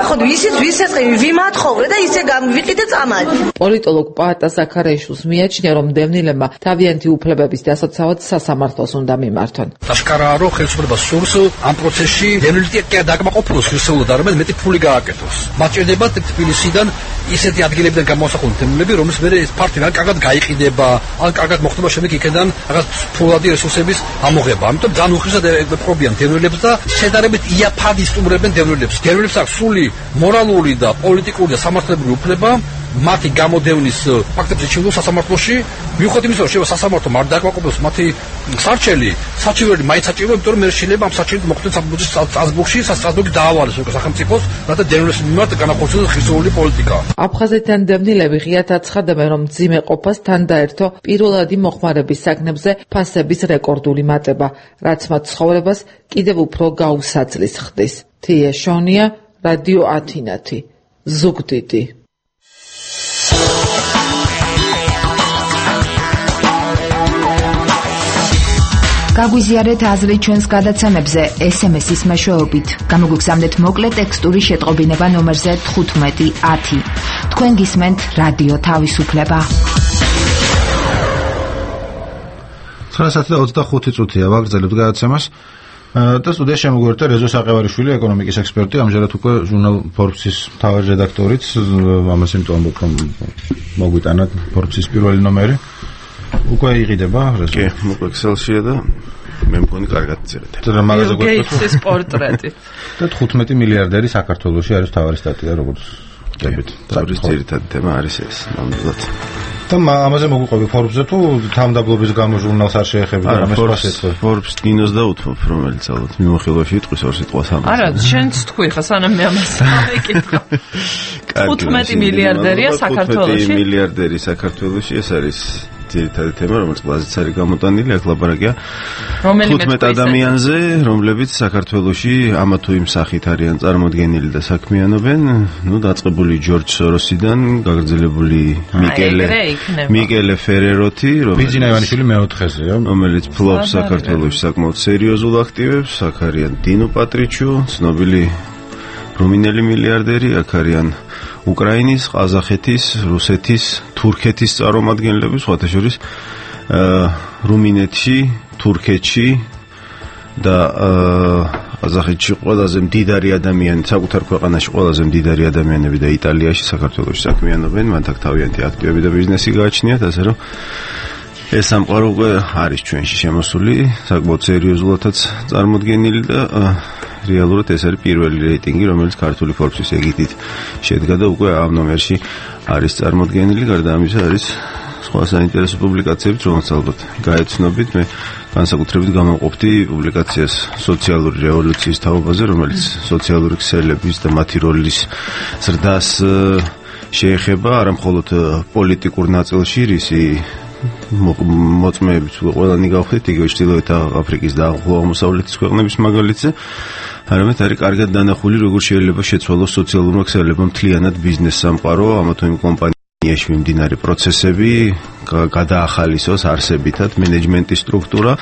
ხო ვისის ვიმათხოვრე და ისე გამვიყიდე წამალი. პოლიტოლოგ პაატა ზაქარიაშვილს მიაჩნია, რომ დევნილებმა თავიანთი უფლებების დასაცავად სასამართლოს უნდა მიმართონ. აშკარაა, რომ ხელისუფლება სურს ამ პროცესში დევნილი დაკმაყოფილოს ხილსეულად არამედ მეტი ფული გააკეთოს. მათ ჭირდებათ თბილისიდან ისეთი ადგილებიდან გამოსახული დევნილები, რომლის მერე ეს ფაქტი რა კარგად გაიყიდება, ან კარგად მოხდება შემდეგ იქიდან რაღაც ფულადი რესურსების ამოღება. ამიტომ ძალიან უხეშად ეპყრობიან დევნილებს და შედარებით იაფად ისტუმრებენ დევნილებს. დევნილებს აქვს სრული მორალური და პოლიტიკური და სამართლებრივი უფლება მათი გამოდევნის ფაქტებზე ჩივლოს სასამართლოში, მიუხედავად იმისა, რომ შეიძლება სასამართლო არ დააკმაყოფილოს მათი სარჩელი, საჩივერი მაინც საჭიროა, იმიტომ რომ მე შეიძლება ამ საჩივერით მოხდეს საბუთის სტრასბურგში, სასტრასბურგი დაავალოს უკვე სახელმწიფოს, რათა დევნილების მიმართ განახორციელოს ხილსეული პოლიტიკა. აფხაზეთთან დევნილები ღიად აცხადებენ, რომ მძიმე ყოფას თან დაერთო პირველადი მოხმარების საგნებზე ფასების რეკორდული მატება, რაც მათ ცხოვრებას კიდევ უფრო გაუსაძლის ხდის. თია შონია, რადიო ათინათი, ზუგდიდი. გაგვიზიარეთ აზრი ჩვენს გადაცემებზე SMS-ის მეშვეობით. გამოგვიგზავნეთ მოკლე ტექსტური შეტყობინება ნომერზე 1510. თქვენ გისმენთ რადიო თავისუფლება. 9:25 წუთია ვაგრძელებთ გადაცემას. და სტუდიაში შემოგვერთა რეზო საყევარიშვილი, ეკონომიკის ექსპერტი, ამჟამად უკვე ჟურნალ Forbes-ის მთავარი რედაქტორიც, ამას იმიტომ ამბობ, რომ მოგვიტანათ Forbes-ის პირველი ნომერი. უკვე იყიდება რეზო. კი, მოკლედ Excel-შია და მე მგონი კარგად წერეთ. და მაგაზე გეიტსის პორტრეტი. და 15 მილიარდერი საქართველოში არის მთავარი სტატია, როგორც ხვდებით. თავის ძირითადი თემა არის ეს, ნამდვილად. და ამაზე მოგვიყვები Forbes-ზე თუ თავმდაბლობის გამო ჟურნალს არ შეეხები და რამეს პასეთქო. Forbes კინოს დაუთმობ, რომელიც ალბათ მიმოხილვაში იტყვის ორ სიტყვას ამაზე. არა, შენც თქვი ხა სანამ მე ამას მეკითხა. 15 მილიარდერია საქართველოში. 15 მილიარდერი საქართველოში, ეს არის ძირითადი თემა, რომელიც კლასიც არის გამოტანილი, აქ ლაპარაკია 15 ადამიანზე, რომლებიც საქართველოში ამა თუ იმ სახით არიან წარმოდგენილი და საქმიანობენ, დაწყებული ჯორჯ სოროსიდან, გაგრძელებული მიკელე ფერეროთი, ბიძინა ივანიშვილი მეოთხეზეა, რომელიც ფლობს საქართველოში საკმაოდ სერიოზულ აქტივებს, აქ არიან დინო პატრიჩუ, ცნობილი რუმინელი მილიარდერი, აქ არიან უკრაინის, ყაზახეთის, რუსეთის, თურქეთის წარმომადგენლები, სხვათა შორის რუმინეთში, თურქეთში და ყაზახეთში ყველაზე მდიდარი ადამიანი, საკუთარ ქვეყანაში ყველაზე მდიდარი ადამიანები და იტალიაში, საქართველოში საქმიანობენ, მათ აქ თავიანთი აქტივები და ბიზნესი გააჩნიათ, ასე რომ ეს სამყარო უკვე არის ჩვენში შემოსული, საკმაოდ სერიოზულადაც წარმოდგენილი და რეალურად ეს არის პირველი რეიტინგი, რომელიც ქართული Forbes-ის ეგიდით შედგა და უკვე ამ ნომერში არის წარმოდგენილი, გარდა ამისა არის სხვა საინტერესო პუბლიკაციებიც, რომელსაც ალბათ გაეცნობით. მე განსაკუთრებით გამოვყოფდი პუბლიკაციას სოციალური რევოლუციის თაობაზე, რომელიც სოციალური ქსელების და მათი როლის ზრდას შეეხება, არა მხოლოდ პოლიტიკურ ნაწილში, რისი მოწმეებით ყველანი გავხდით, იგივე ჩრდილოეთ აფრიკის და ახლო აღმოსავლეთის ქვეყნების მაგალითზე, არამედ არის კარგად დანახული, როგორ შეიძლება შეცვალოს სოციალურმა ქსელებმა მთლიანად ბიზნეს სამყარო, ამა თუ იმ კომპანიაში მიმდინარე პროცესები, გადაახალისოს არსებითად მენეჯმენტის სტრუქტურა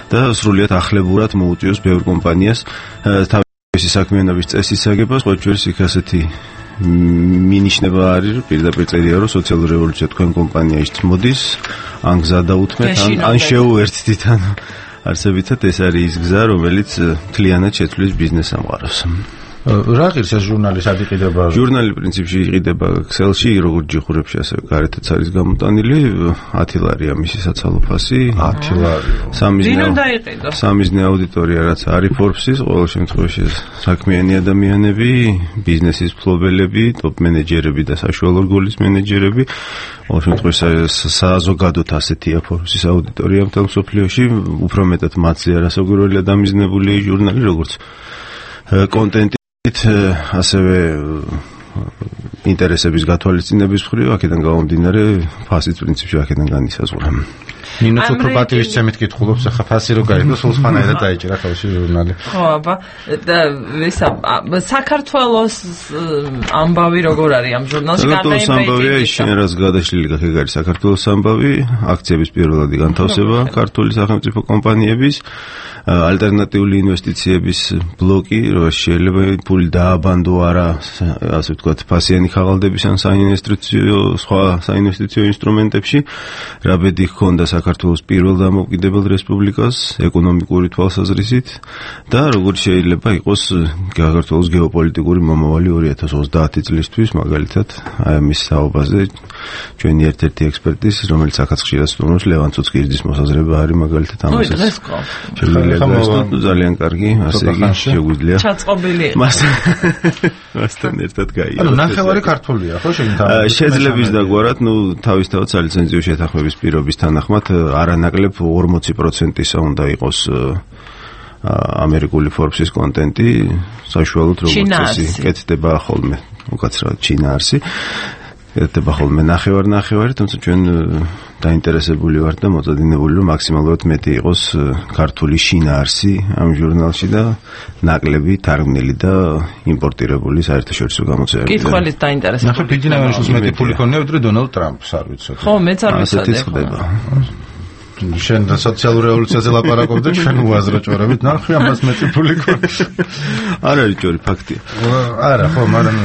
და სრულიად ახლებურად მოუწიოს ბევრ კომპანიას თავისი საქმიანობის წესის აგებას, სხვა შორის იქ ასეთი მინიშნება არის, რომ პირდაპირ წერია, რომ სოციალური რევოლუცია თქვენ კომპანიაში მოდის, ან გზა დაუთმეთ, ან შეუერთდით, ან არსებითად ეს არის ის გზა, რომელიც მთლიანად შეცვლის ბიზნეს სამყაროს. რა ღირს ეს ჟურნალი სად იყიდება? ჟურნალი პრინციპში იყიდება Excel-ში, როგორც ჯიხურებში, ასე გარეთაც არის გამოტანილი, 10 ლარია მისი საცალო ფასი. 10 ლარი. სამიზნე აუდიტორია, რაც არის Forbes-ის, ყოველ შემთხვევაში საქმიანი ადამიანები, ბიზნესის მფლობელები, ტოპ მენეჯერები და საშუალო რგოლის მენეჯერები. ყოველ შემთხვევაში საზოგადოდ ასეთია Forbes-ის აუდიტორია მთელ მსოფლიოში, უფრო მეტად მათზე არასაგვირველი დამიზნებული ჟურნალი, როგორც კონტენტი ასევე ინტერესების გათვალისწინების მხრივ, აქედან გამომდინარე ფასიც პრინციპში აქედან განისაზღვრა. ნინოს უფრო პატივისცემით კითხულობს, ახლა ფასი რო გაიგო, სულ სხვანაირად დაიჭირა თავისი ჟურნალი. ხო, აბა, და საქართველოს ამბავი როგორ არის ამ ჟურნალში? საქართველოს ამბავია ის შენერას გადაშლილი გაქეგ არის საქართველოს ამბავი, აქციების პირველადი განთავსება ქართული სახელმწიფო კომპანიების, ალტერნატიული ინვესტიციების ბლოკი, რომ შეიძლება ფული დააბანდო არა, ასე ვთქვათ, ფასიანი ხაღალდების ან სხვა საინვესტიციო ინსტრუმენტებში, რა ბედი ჰქონდა საქართველოს პირველ დამოუკიდებელ რესპუბლიკას ეკონომიკური თვალსაზრისით და როგორც შეიძლება იყოს საქართველოს გეოპოლიტიკური მომავალი 2030 წლისთვის, მაგალითად, აი ამის საუბარზე ჩვენი ერთ-ერთი ექსპერტის, რომელიც აქაც ხშირად სტუმრობს, ლევან ცუცკირიძის მოსაზრება არის მაგალითად ამას. ძალიან კარგი, ასე იგი შეგვიძლია. ჩაწყობილი. მასთან ერთად გაიგო. ანუ ნახევარი ქართულია, ხო შეგიძლია? შეძლებს დაგვარად, თავისთავად სალიცენზიო შეთანხმების პირობის თანახმად არანაკლებ 40%-ისა უნდა იყოს ამერიკული Forbes-ის კონტენტი, საშუალოდ როგორც წესი, კეთდება ხოლმე, უკაცრავად ჩინაარსი. კეთდება ხოლმე ნახევარი, თუმცა ჩვენ დაინტერესებული ვართ და მოწოდინებული რომ მაქსიმალურად მეტი იყოს ქართული შინაარსი ამ ჟურნალში და ნაკლები თარგმნილი და იმპორტირებული საერთაშორისო გამოცემებიდან. კითხველით დაინტერესებული. ნახე ბიძინავაშვილს მეტი ფული ქონია ვიდრე დონალდ ტრამპს, არ ვიცოდი. ხო, მეც არ ვიცოდი. ასეთი ხდება. შენ სოციალურ რევოლუციაზე ლაპარაკობ და ჩვენ უაზრო ჭორებით, ნახე ამას მეტი ფული ქონია. არ არის ჭორი, ფაქტია. არა, ხო, მაგრამ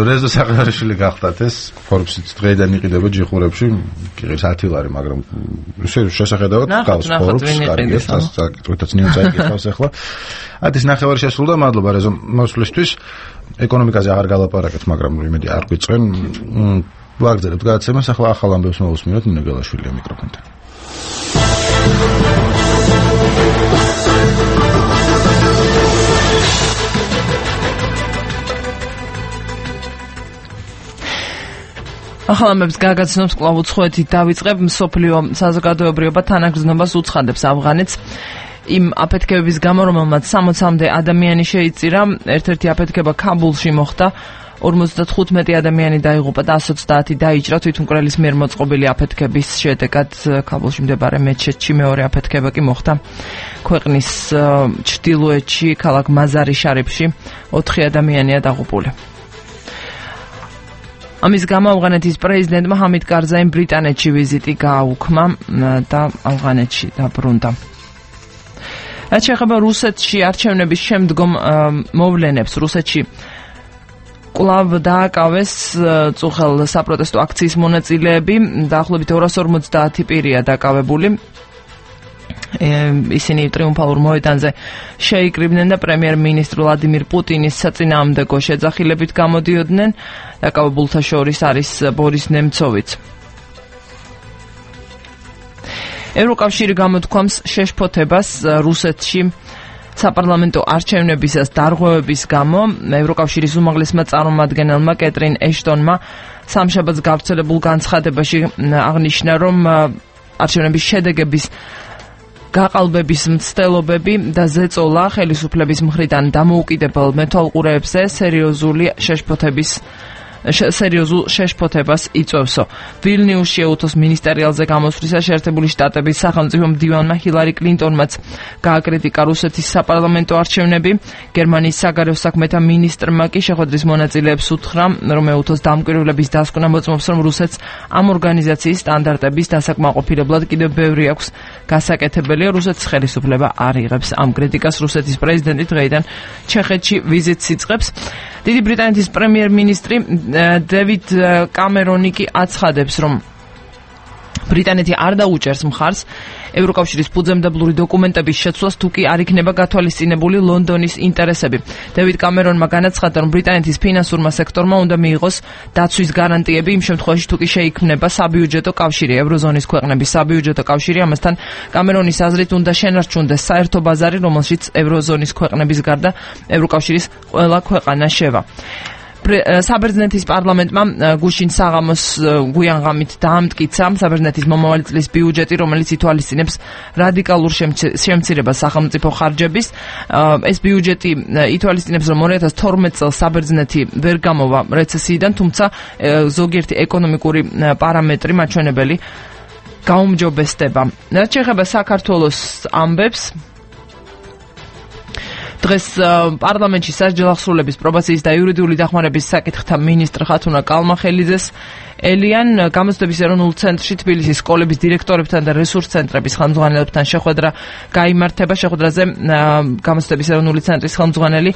რეზო საყარაშვილი გახდათ ეს Forbes-იც დღეიდან იყიდება ჯიხურებში, კიღის 10 ლარი, მაგრამ ისე შესახედავად გავს Forbes, კარგია, საკითხითაც ნიუ წაიკითხავს ახლა. ათის ნახევარი შესრულდა, მადლობა რეზო მოსვლისთვის. ეკონომიკაზე აღარ გალაპარაკეთ, მაგრამ იმედი არ გვიწყენ. ვაგრძელებთ გადაცემას, ახლა ახალ ამბებს მოვუსმინოთ ნინო გელაშვილია მიკროფონთან. ახალამებს გაგაცნობს კვლავ უცხოეთით დავიწყებ მსოფლიო საზოგადოებრიობა თანაგრძნობას უცხადებს ავღანეთს იმ აფეთქებების გამო რომელმაც 60-მდე ადამიანი შეიწირა ერთ-ერთი აფეთქება ქაბულში მოხდა 55 ადამიანი დაიღუპა და 130 დაიჭრა თვითმკვლელის მიერ მოწყობილი აფეთქების შედეგად ქაბულში მდებარე მეჩეთში მეორე აფეთქება კი მოხდა ქვეყნის ჩრდილოეთში ქალაქ მაზარი შარიფში 4 ადამიანია დაღუპული ამის გამო ავღანეთის პრეზიდენტმა ჰამიდ კარზაიმ ბრიტანეთში ვიზიტი გააუქმა და ავღანეთში დაბრუნდა. რაც შეეხება რუსეთში არჩევნების შემდგომ მოვლენებს, რუსეთში კვლავ დააკავეს წუხელ საპროტესტო აქციის მონაწილეები, დაახლოებით 250 პირია დაკავებული. ისინი ტრიუმფალურ მოედანზე შეიკრიბნენ და პრემიერ-მინისტრ ვლადიმირ პუტინის საწინააღმდეგო შეძახილებით გამოდიოდნენ. დაკავებულთა შორის არის ბორის ნემცოვიც. ევროკავშირი გამოთქვამს შეშფოთებას რუსეთში საპარლამენტო არჩევნებისას დარღვევების გამო. ევროკავშირის უმაღლესმა წარმომადგენელმა კეტრინ ეშტონმა სამშაბათს გავრცელებულ განცხადებაში აღნიშნა, რომ არჩევნების შედეგების გაყალბების მცდელობები და ზეწოლა ხელისუფლების მხრიდან დამოუკიდებელ მეთვალყურეებზე სერიოზულ შეშფოთებას იწვევსო. ვილნიუსში ეუთოს მინისტერიალზე გამოსვლისას შეერთებული შტატების სახელმწიფო მდივანმა ჰილარი კლინტონმაც გააკრიტიკა რუსეთის საპარლამენტო არჩევნები. გერმანიის საგარეო საქმეთა მინისტრმა კი შეხვედრის მონაწილეებს უთხრა, რომ ეუთოს დამკვირვებლების დასკვნა მოწმობს, რომ რუსეთს ამ ორგანიზაციის სტანდარტების დასაკმაყოფილებლად კიდევ ბევრი აქვს გასაკეთებელი. რუსეთის ხელისუფლება არ იღებს ამ კრიტიკას. რუსეთის პრეზიდენტი დღეიდან ჩეხეთში ვიზიტს იწყებს. დიდი ბრიტანეთის პრემიერ-მინისტრი დევიდ კამერონი კი აცხადებს, რომ ბრიტანეთი არ დაუჭერს მხარს ევროკავშირის ფუძემდებლური დოკუმენტების შეცვლას, თუ კი არ იქნება გათვალისწინებული ლონდონის ინტერესები. დევიდ კამერონმა განაცხადა, რომ ბრიტანეთის ფინანსურმა სექტორმა უნდა მიიღოს დაცვის გარანტიები იმ შემთხვევაში, თუ კი შეიქმნება საბიუჯეტო კავშირი, ევროზონის ქვეყნების საბიუჯეტო კავშირი. ამასთან კამერონის აზრით უნდა შენარჩუნდეს საერთო ბაზარი, რომელშიც ევროზონის ქვეყნების გარდა ევროკავშირის ყველა ქვეყანა შევა. საბერძნეთის პარლამენტმა გუშინ საღამოს გვიანღამით დაამტკიცა საბერძნეთის მომავალი წლის ბიუჯეტი, რომელიც ითვალისწინებს რადიკალურ შემცირებას სახელმწიფო ხარჯების. ეს ბიუჯეტი ითვალისწინებს, რომ 2012 წელს საბერძნეთი ვერ გამოვა რეცესიიდან, თუმცა ზოგიერთი ეკონომიკური პარამეტრი მაჩვენებელი გაუმჯობესდება. რაც შეეხება საქართველოს ამბებს, დღეს პარლამენტში სასჯელ აღსრულების პრობაციის და იურიდიული დახმარების საკითხთა მინისტრ ხათუნა კალმახელიძეს ელიან გამოცდების ეროვნულ ცენტრში თბილისის სკოლების დირექტორებთან და რესურს ცენტრების ხელმძღვანელებთან შეხვედრა გაიმართება. შეხვედრაზე გამოცდების ეროვნული ცენტრის ხელმძღვანელი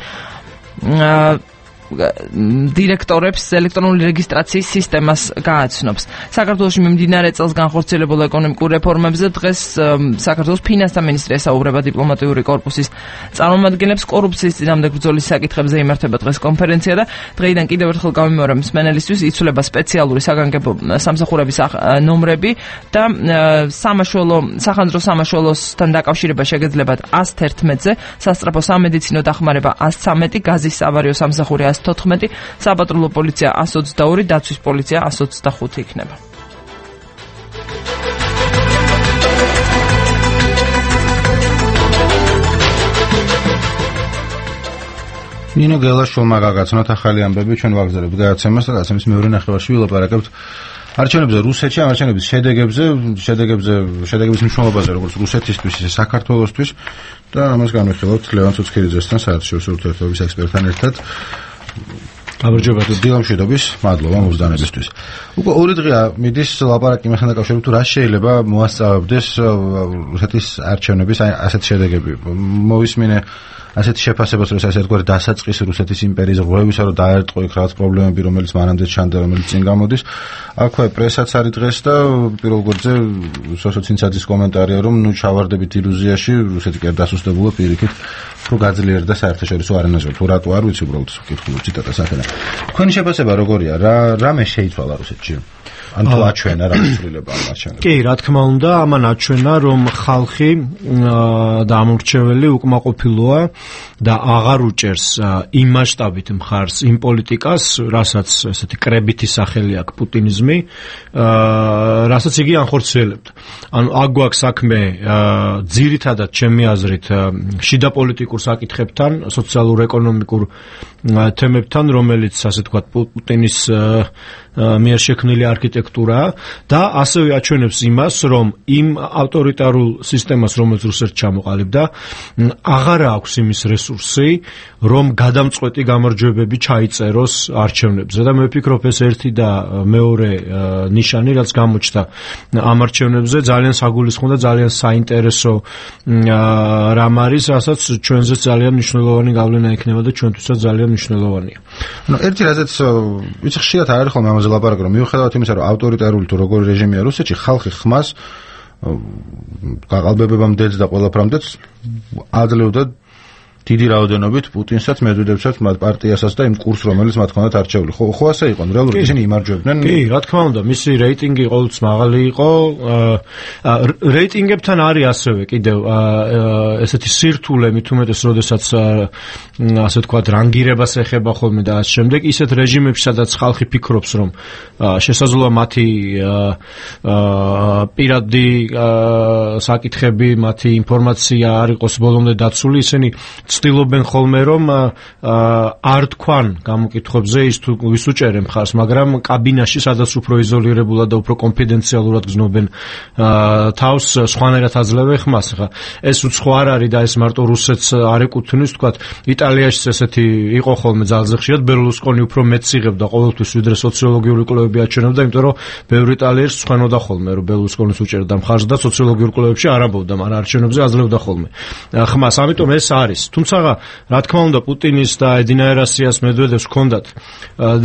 დირექტორებს ელექტრონული რეგისტრაციის სისტემას გააცნობს. საქართველოში მიმდინარე წელს განხორციელებულ ეკონომიკურ რეფორმებზე დღეს საქართველოს ფინანსთა მინისტრი ესაუბრება დიპლომატიური კორპუსის წარმომადგენლებს. კორუფციის წინააღმდეგ ბრძოლის საკითხებზე იმართება დღეს კონფერენცია და დღეიდან კიდევ ერთხელ გამიმეორე მსმენელისთვის იცვლება სპეციალური საგანგებო სამსახურების ნომრები და სახანძრო სამაშველოსთან დაკავშირება შეგეძლებათ 111-ზე, სასწრაფო სამედიცინო დახმარება 113, გაზის სავარიო სამსახური 114, საპატრულო პოლიცია 122, დაცვის პოლიცია 125 იქნება. ნინო გელაშვილმა გაგაცნოთ ახალი ამბები ჩვენ ვაგზავნებთ გადაცემას და გადაცემის მეორე ნახევარში ვილაპარაკებთ არჩევნებზე რუსეთში, არჩევნების შედეგების მნიშვნელობაზე როგორც რუსეთისთვის, ისე საქართველოსთვის და ამას განვიხილავთ ლევან ცუცქირიძესთან, საერთაშორისო ურთიერთობების ექსპერტთან ერთად. გამარჯობა დილამშვიდობის, მადლობა მოგზაურობისთვის. უკვე ორი დღეა მიდის ლაპარაკი იმასთან დაკავშირებით, თუ რა შეიძლება მოასწავებდეს რუსეთის არჩევნების ასეთ შედეგები. მოვისმინე ასეთ შეფასებას, რომ ასე თქვა დასაწყისი რუსეთის იმპერიის ღრუებისა, რომ დაერტყო იქ რაღაც პრობლემები, რომელიც მანამდე ჩანდა, რომელიც წინ გამოდის. აქვე პრესაც არის დღეს და პირველ რიგზე სოციალისტების კომენტარია, რომ ნუ ჩავარდებით ილუზიაში, რუსეთი კი არ დასუსტებულა პირიქით, რომ გაძლიერდა საერთაშორისო არენაზე. თუ რატო არ ვიცი, უბრალოდ ვკითხულობ ციტატას ახლა. თქვენი შეფასება როგორია? რამე შეიცვალა რუსეთში? ან თუ აჩვენა რა ცვლილება ამ არჩევნებში? კი, რა თქმა უნდა, ამან აჩვენა, რომ ხალხი და ამორჩეველი უკმაყოფილოა და აღარ უჭერს იმ მასშტაბით მხარს იმ პოლიტიკას, რასაც ესეთი კრებითი სახელი აქვს პუტინიზმი, რასაც იგი ანხორციელებდა. ანუ აქ გვაქვს საქმე ძირითადად ჩემი აზრით შიდა პოლიტიკურ საკითხებთან, სოციალურ-ეკონომიკურ თემებთან, რომელიც ასე თქვა პუტინის მიერ შექმნილი არქიტექტურა და ასევე აჩვენებს იმას, რომ იმ ავტორიტარულ სისტემას, რომელიც რუსეთს ჩამოყალიბდა, აღარ აქვს იმის რესურსი, რომ გადამწყვეტი გამარჯვებები ჩაიწეროს არჩევნებზე და მე ვფიქრობ ეს ერთი და მეორე ნიშანი, რაც გამოჩნდა ამ არჩევნებზე, ძალიან საგულისხმო და ძალიან საინტერესო რამ არის, რასაც ჩვენზეც ძალიან მნიშვნელოვანი გავლენა ექნება და ჩვენთვისაც ძალიან მნიშვნელოვანია. ნუ ერთი რაზეც ვიცი ხშირად არ არის ხოლმე ამაზე ლაპარაკი, რომ მიუხედავად იმისა, რომ ავტორიტარული თუ როგორი რეჟიმია რუსეთში, ხალხი ხმას გაყალბებებამდეც და ყველაფრამდეც აძლევდა დიდი რაოდენობით პუტინსაც, მედვედევსაც, მათ პარტიასაც და იმ კურსს, რომელიც მათ ჰქონდათ არჩეული. ხო ასე იყო, რეალურად ისინი იმარჯვებდნენ. კი, რა თქმა უნდა, მისი რეიტინგი ყოველთვის მაღალი იყო. რეიტინგებთან არის ასევე კიდევ ესეთი სირთულე, მით უმეტეს, როდესაც ასე ვთქვათ, რანგირებას ეხება ხოლმე და ამ შემდეგ ისეთ რეჟიმებში, სადაც ხალხი ფიქრობს, რომ შესაძლოა მათი პირადი საკითხები, მათი ინფორმაცია არ იყოს ბოლომდე დაცული, ისინი ცდილობენ ხოლმე, რომ არ თქვან გამოკითხვებზე ის თუ ვის უჭერენ მხარს, მაგრამ კაბინაში, სადაც უფრო იზოლირებულად და უფრო კონფიდენციალურად გზნობენ თავს, სხვანაირად აძლევენ ხმას. ეს უცხო არ არის და ეს მარტო რუსეთს არ ეკუთვნის, თქვათ, იტალიაშიც ესეთი იყო ხოლმე ძალზე ხშირად, ბერლუსკონი უფრო მეტს იღებდა ყოველთვის, ვიდრე სოციოლოგიური კვლევები აჩვენებდა, იმიტომ რომ ბევრი იტალიელს ხვენოდა ხოლმე, რომ ბერლუსკონის უჭერდა მხარს და სოციოლოგიურ კვლევებში არ ამბობდა, მაგრამ არჩევნებზე აძლევდა ხოლმე ხმას. ამიტომ ეს არის. თუმცა რა თქმა უნდა პუტინის და ედინაერასიას მედვედევს ჰქონდათ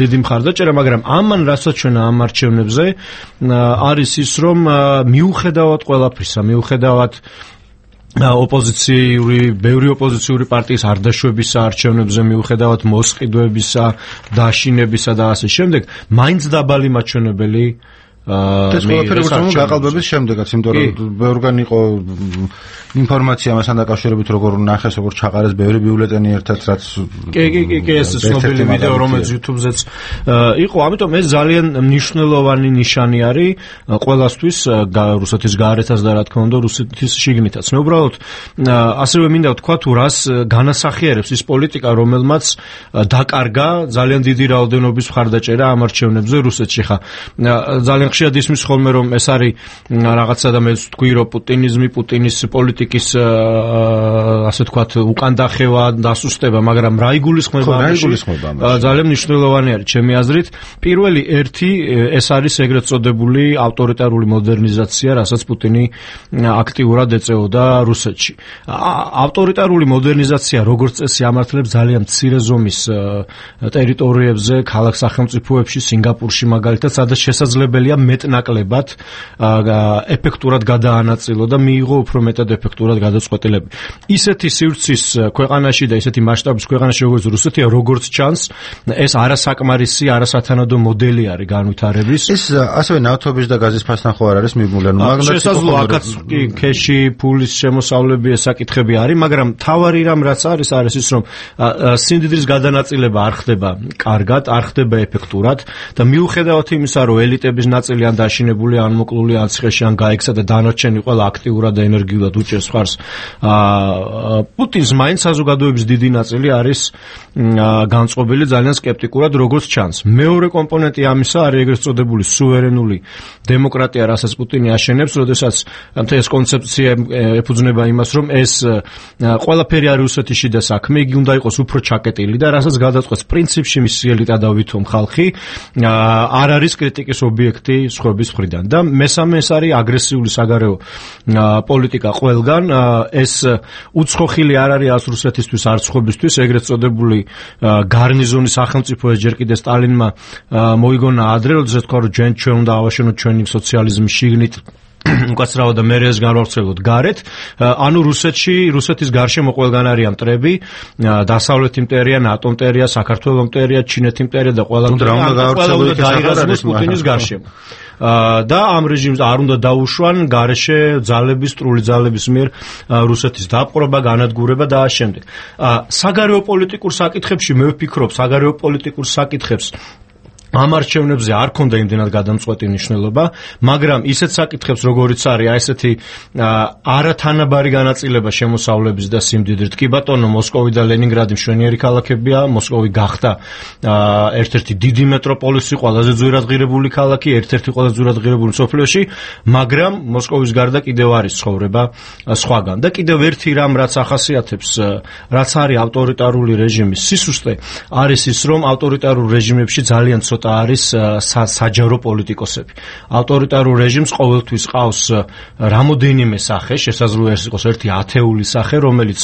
დიდი მხარდაჭერა, მაგრამ ამან რასაც ჩვენა ამ არჩევნებზე არის ის, რომ მიუხედავად ყველაფრისა, მიუხედავად ბევრი ოპოზიციური პარტიის არდაშვებისა არჩევნებზე, მიუხედავად მოსყიდვებისა, დაშინებისა და ასე შემდეგ, მაინც დაბალი მაჩვენებელი ეს ყველაფერი გაყალბების შემდეგაც, იმიტომ რომ ბევრგან იყო ინფორმაცია მასთან დაკავშირებით, როგორ ნახეს, როგორ ჩაყარეს ბევრი ბიულეტენი ერთად, რაც კი ეს ცნობილი ვიდეო, რომელიც YouTube-ზეც იყო, ამიტომ ეს ძალიან მნიშვნელოვანი ნიშანი არის ყველასთვის, რუსეთის გარეთაც და რა თქმა უნდა რუსეთის შიგნითაც. მე უბრალოდ ასევე მინდა ვთქვა, თუ რას განასახიერებს ის პოლიტიკა, რომელმაც დაკარგა ძალიან დიდი რაოდენობის მხარდაჭერა ამ არჩევნებზე რუსეთში. ხა ძალიან ხშირად ისმის ხოლმე რომ ეს არის რაღაცა და მე თქვი რომ პუტინიზმი, პუტინის პოლიტიკის ასე ვთქვათ უკან დახევა, დასუსტება, მაგრამ რა იგულისხმება ამაში? ძალიან მნიშვნელოვანი არის ჩემი აზრით. პირველი ერთი ეს არის ეგრეთ წოდებული ავტორიტარული მოდერნიზაცია, რასაც პუტინი აქტიურად ეწეოდა რუსეთში. ავტორიტარული მოდერნიზაცია როგორც წესი ამართლებს ძალიან მცირე ზომის ტერიტორიებზე, ქალაქ სახელმწიფოებში, სინგაპურში მაგალითად, სადაც შესაძლებელია მეტნაკლებად ეფექტურად გადაანაწილო და მიიღო უფრო მეტად ეფექტურად გადაწყვეტილები. ისეთი სივრცის ქვეყანაში და ისეთი მასშტაბის ქვეყანაში როგორც რუსეთია, როგორც ჩანს, ეს არასაკმარისი, არასათანადო მოდელი არის განვითარების. ეს ასევე ნავთობის და გაზის ფასთან ხო არ არის მიბმული, ანუ შესაძლოა აქაც ქეში, ფულის შემოსავლები ეს საკითხები არის, მაგრამ თავარი რამ რაც არის ის რომ სიმდიდრის გადანაწილება არ ხდება კარგად, არ ხდება ეფექტურად და მიუხედავად იმისა, რომ ელიტების ნაწილი ან დაშინებული, ან მოკლული, ან ციხეში, ან გაიქცა და დანარჩენი ყველა აქტიურად და ენერგიულად უჭერს მხარს პუტინს მაინც საზოგადოების დიდი ნაწილი არის განწყობილი ძალიან სკეპტიკურად, როგორც ჩანს. მეორე კომპონენტი ამისა არის ეგრეთ წოდებული სუვერენული დემოკრატია, რასაც პუტინი აშენებს, როდესაც ეს კონცეფცია ეფუძნება იმას, რომ ეს ყველაფერი არის რუსეთის შიდა საქმე, იგი უნდა იყოს უფრო ჩაკეტილი და რასაც გადაწყვეტს პრინციპში მისი ელიტა და ვითომ ხალხი არ არის კრიტიკის ობიექტი სხვების მხრიდან. და მესამე ეს არის აგრესიული საგარეო პოლიტიკა ყველგან. ეს უცხოხილი არ არის რუსეთისთვის, არც სხვებისთვის, ეგრეთ წოდებული გარნიზონის სახელმწიფო ეს ჯერ კიდე სტალინმა მოიგონა ადრე, როდესაც თქვა რომ ჩვენ უნდა ავაშენოთ ჩვენი სოციალიზმის შიგნით უკაცრავად და მერე ეს განვავრცელოთ გარეთ. ანუ რუსეთის გარშემო ყველგან არიან მტრები, დასავლეთ იმპერია, ნატო იმპერია, საქართველოს იმპერია, ჩინეთის იმპერია და ყველა დაირაზმოს პუტინის გარშემო. და ამ რეჟიმს არ უნდა დაუშვან გარეშე ძალების, სრული ძალების მიერ რუსეთის დაპყრობა, განადგურება და ამ შემდეგ. საგარეო პოლიტიკურ საკითხებში მე ვფიქრობ, საგარეო პოლიტიკურ საკითხებს ამ არჩევნებზე არ ქონდა იმდენად გადამწყვეტი მნიშვნელობა, მაგრამ ისეთ საკითხებს როგორიც არის ესეთი არათანაბარი განაწილება შემოსავლების და სიმდიდრით. კი ბატონო, მოსკოვი და ლენინგრადი მშვენიერი ქალაქებია, მოსკოვი გახდა ერთ-ერთი დიდი მეტროპოლისი, ყველაზე ძვირადღირებული ქალაქი, ერთ-ერთი ყველაზე ძვირადღირებული მსოფლიოში, მაგრამ მოსკოვის გარდა კიდევ არის ცხოვრება სხვაგან. და კიდევ ერთი რამ რაც ახასიათებს, რაც არის ავტორიტარული რეჟიმის სისუსტე, არის ის, რომ ავტორიტარულ რეჟიმებში ძალიან არის საჯარო პოლიტიკოსები. ავტორიტარულ რეჟიმს ყოველთვის ყავს რამოდენიმე სახე, შესაძლოა ეს იყოს ერთი ათეული სახე, რომელიც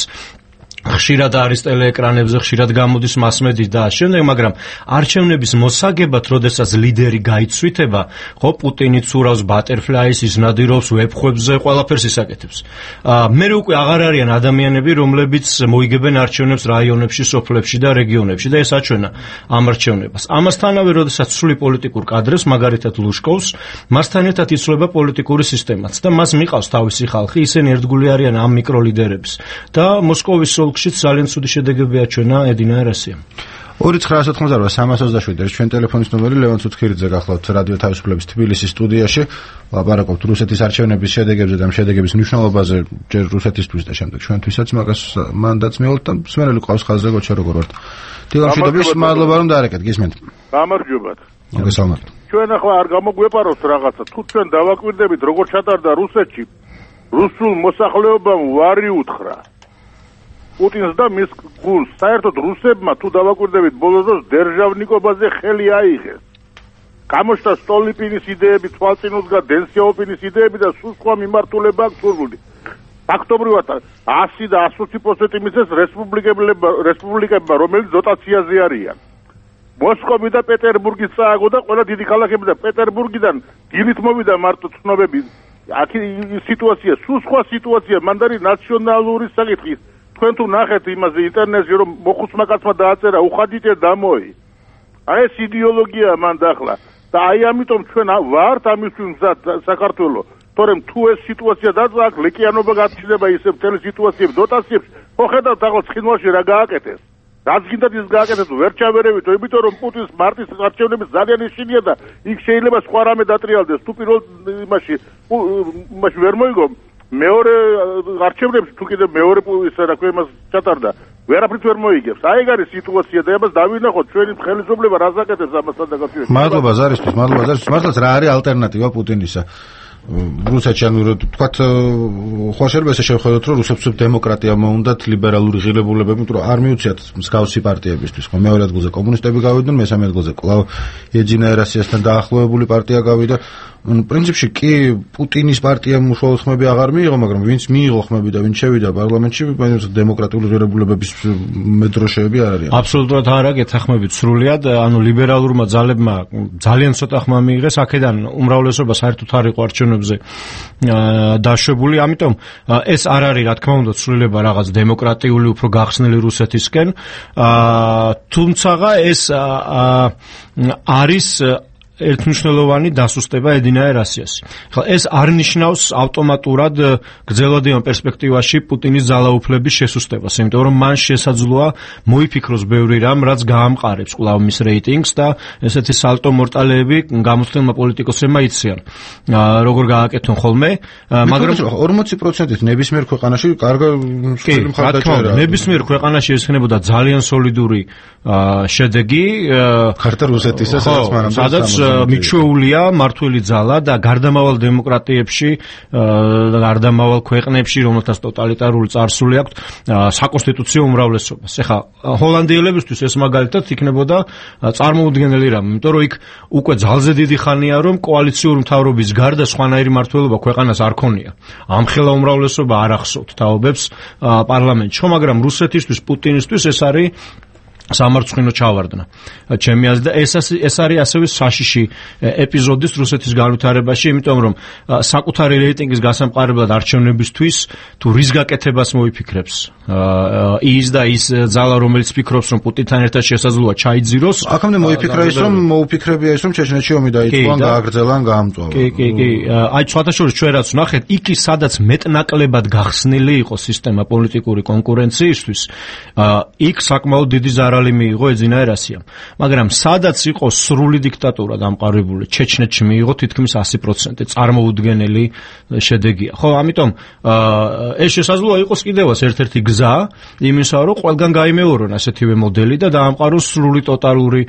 ხშირად არის ტელეეკრანებზე, ხშირად გამოდის მასმედიის და შემდეგ, მაგრამ არჩევნების მოსაგებად, როდესაც ლიდერი გაიცვითება, ხო, პუტინი ცურავს ბატერფლაის, ის ნადირობს ვებხვებზე, ყველაფერს ისაკეთებს. მე უკვე აღარ არიან ადამიანები, რომლებიც მოიგებენ არჩევნებს რაიონებში, სოფლებში და რეგიონებში და ეს აჩვენა ამ არჩევნებას. ამასთანავე, როდესაც სრული პოლიტიკურ კადრებს, მაგალითად ლუშკოვს, მასთან ერთად იცვლება პოლიტიკური სისტემაც და მას მიყავს თავისი ხალხი, ისინი ერთგული არიან ამ მიკროლიდერების და მოსკოვის ძალიან ცუდი შედეგები აჩვენა ედინა ერასიამ. 2988327 არის ჩვენ ტელეფონის ნომერი. ლევან ცუცქირიძე გახლავთ რადიო თავისუფლების თბილისის სტუდიაში. ლაპარაკობთ რუსეთის არჩევნების შედეგებზე და შედეგების მნიშვნელობაზე ჯერ რუსეთისთვის და შემდეგ ჩვენთვისაც, მაგას მანდაც მივალთ და სვენელი ყავს ხაზზე, გოჩა როგორ ვართ. დილამშვიდობის, მადლობა რომ დაარეკეთ, გისმენთ. გამარჯობათ. მოგესალმებით. ჩვენ ახლა არ გამოგვეპაროთ რაღაცა, თუ ჩვენ დავაკვირდებით როგორ ჩატარდა რუსეთში, რუსულ მოსახლეობამ ვარი უთხრა. პუტინს და მის გულს საერთოდ რუსებმა თუ დავაკვირდებით ბოლოს დროს დერჟავნიკობაზე ხელი აიღეს. გამოჩნდა სტოლიპინის იდეები, თვალწინუდგა დენსიაოპინის იდეები და სულ სხვა მიმართულება აქვს სურვილი. ფაქტობრივად 100 და 120% მისცეს რესპუბლიკებმა, რომელიც დოტაციაზე არიან. მოსკოვი და პეტერბურგის წააგო და ყველა დიდი ქალაქები და პეტერბურგიდან დილით მოვიდა მარტო ცნობები. აქ სიტუაცია, სულ სხვა სიტუაცია, მანდარი ნაციონალური საკითხი. თქვენ თუ ნახეთ იმაზე ინტერნეტში რომ მოხუცმა კაცმა დააწერა უხადიტე დამოი. აი ეს იდეოლოგია მან დაახლა და აი ამიტომ ჩვენ ვართ ამისთვის მზად საქართველოს. თორემ თუ ეს სიტუაცია დაწყა, აქ ლეკიანობა გაჩნდება ისე მთელი სიტუაციები დოტაციებს, ხო ხედავთ ახლა ცხინვალში რა გააკეთეს. რაც გინდათ ის გააკეთეს, ვერ ჩავერევით, იმიტომ რომ პუტინს მარტის არჩევნები ძალიან ისინია და იქ შეიძლება სხვა რამე დატრიალდეს. თუ პირველ იმაში ვერ მოიგო მეორე არჩევნებში თუ კიდე მეორე ისა რა ქვია იმას ჩატარდა ვერაფრით ვერ მოიგებს. აი ეგ არის სიტუაცია და ამას დავინახოთ ჩვენი ხელისუფლება რას აკეთებს ამასთან დაკავშირებით. მადლობა ზარისთვის, მართლაც რა არის ალტერნატივა პუტინისა? რუსეთში ანუ თქვათ ხო შეიძლება ესე შევხედოთ რომ რუსებს დემოკრატია მოუნდათ ლიბერალური ღირებულებები, იმიტომ რომ არ მიუციათ მსგავსი პარტიებისთვის. ხო მეორე ადგილზე კომუნისტები გავიდნენ, მესამე ადგილზე კვლავ ეჯინა ერასიასთან დაახლოებული პარტია გავიდა. პრინციპში კი პუტინის პარტიამ უშუალოდ ხმები აღარ მიიღო, მაგრამ ვინც მიიღო ხმები და ვინც შევიდა პარლამენტში, დემოკრატიული ღირებულებების მედროშეები არ არის. აბსოლუტურად არა, გეთახმებით სრულიად, ანუ ლიბერალურმა ძალებმა ძალიან ცოტა ხმა მიიღეს, აქედან უმრავლესობა საერთოდ არ იყო არჩევნებზე დაშვებული, ამიტომ ეს არ არის რა თქმა უნდა ცვლილება რაღაც დემოკრატიული უფრო გახსნილი რუსეთისკენ, თუმცა ეს არის ერთმნიშვნელოვანი დასუსტება ედინა ერასიასი. ხა ეს არ ნიშნავს ავტომატურად გრძელვადიან პერსპექტივაში პუტინის ძალაუფლების შესუსტებას, იმიტომ რომ მან შესაძლოა მოიფიქროს ბევრი რამ, რაც გაამყარებს კვლავ მის რეიტინგს და ესეთი სალტო მორტალეები გამოცდილმა პოლიტიკოსებმა იციან. როგორ გააკეთონ ხოლმე, მაგრამ 40%-ით ნებისმიერ ქვეყანაში კარგი მხარდაჭერა. ნებისმიერ ქვეყანაში ეს ხნებოდა ძალიან სოლიდური შედეგი, ხართა რუსეთისა, სადაც მიჩვეულია მართველი ძალა და გარდამავალ დემოკრატიებში, გარდამავალ ქვეყნებში, რომელთაც ტოტალიტარული წარსული აქვს, საკონსტიტუციო უმრავლესობას. ეხლა ჰოლანდიელებისთვის ეს მაგალითად იქნებოდა წარმოუდგენელი რამ, იმიტომ რომ იქ უკვე ძალზე დიდი ხანია, რომ კოალიციური მთავრობის გარდა სხვანაირი მმართველობა ქვეყანას არ ქონია. ამხელა უმრავლესობა არ ახსოვთ თაობებს პარლამენტში, მაგრამ რუსეთისთვის, პუტინისთვის ეს არის სამარცხვინო ჩავარდნა. ჩემი აზრით და ეს არის ასევე საშიში ეპიზოდის რუსეთის განვითარებაში, იმიტომ რომ საკუთარი რეიტინგის გასამყარებლად არჩევნებისთვის თუ რის გაკეთებას მოიფიქრებს ის და ის ძალა, რომელიც ფიქრობს, რომ პუტინთან ერთად შესაძლოა ჩაიძიროს, აქამდე მოიფიქრა ის, რომ მოუფიქრებია ის, რომ ჩეჩნეთში ომი დაიწყო, გააგრძელა, გაამწვავა. კი. აი სხვათა შორის ჩვენ რაც ვნახეთ, იქ სადაც მეტნაკლებად გახსნილი იყო სისტემა პოლიტიკური კონკურენციისთვის, იქ საკმაოდ დიდი ზარალი მიიღო ეძინა ერასიამ. მაგრამ სადაც იყო სრული დიქტატურა დამყარებული, ჩეჩნეთში მიიღო თითქმის 100%, წარმოუდგენელი შედეგია. ხო, ამიტომ ეს შესაძლოა იყოს კიდევაც ერთ-ერთი გზა იმისა, რომ ყველგან გაიმეორონ ასეთივე მოდელი და დაამყაროს სრული ტოტალური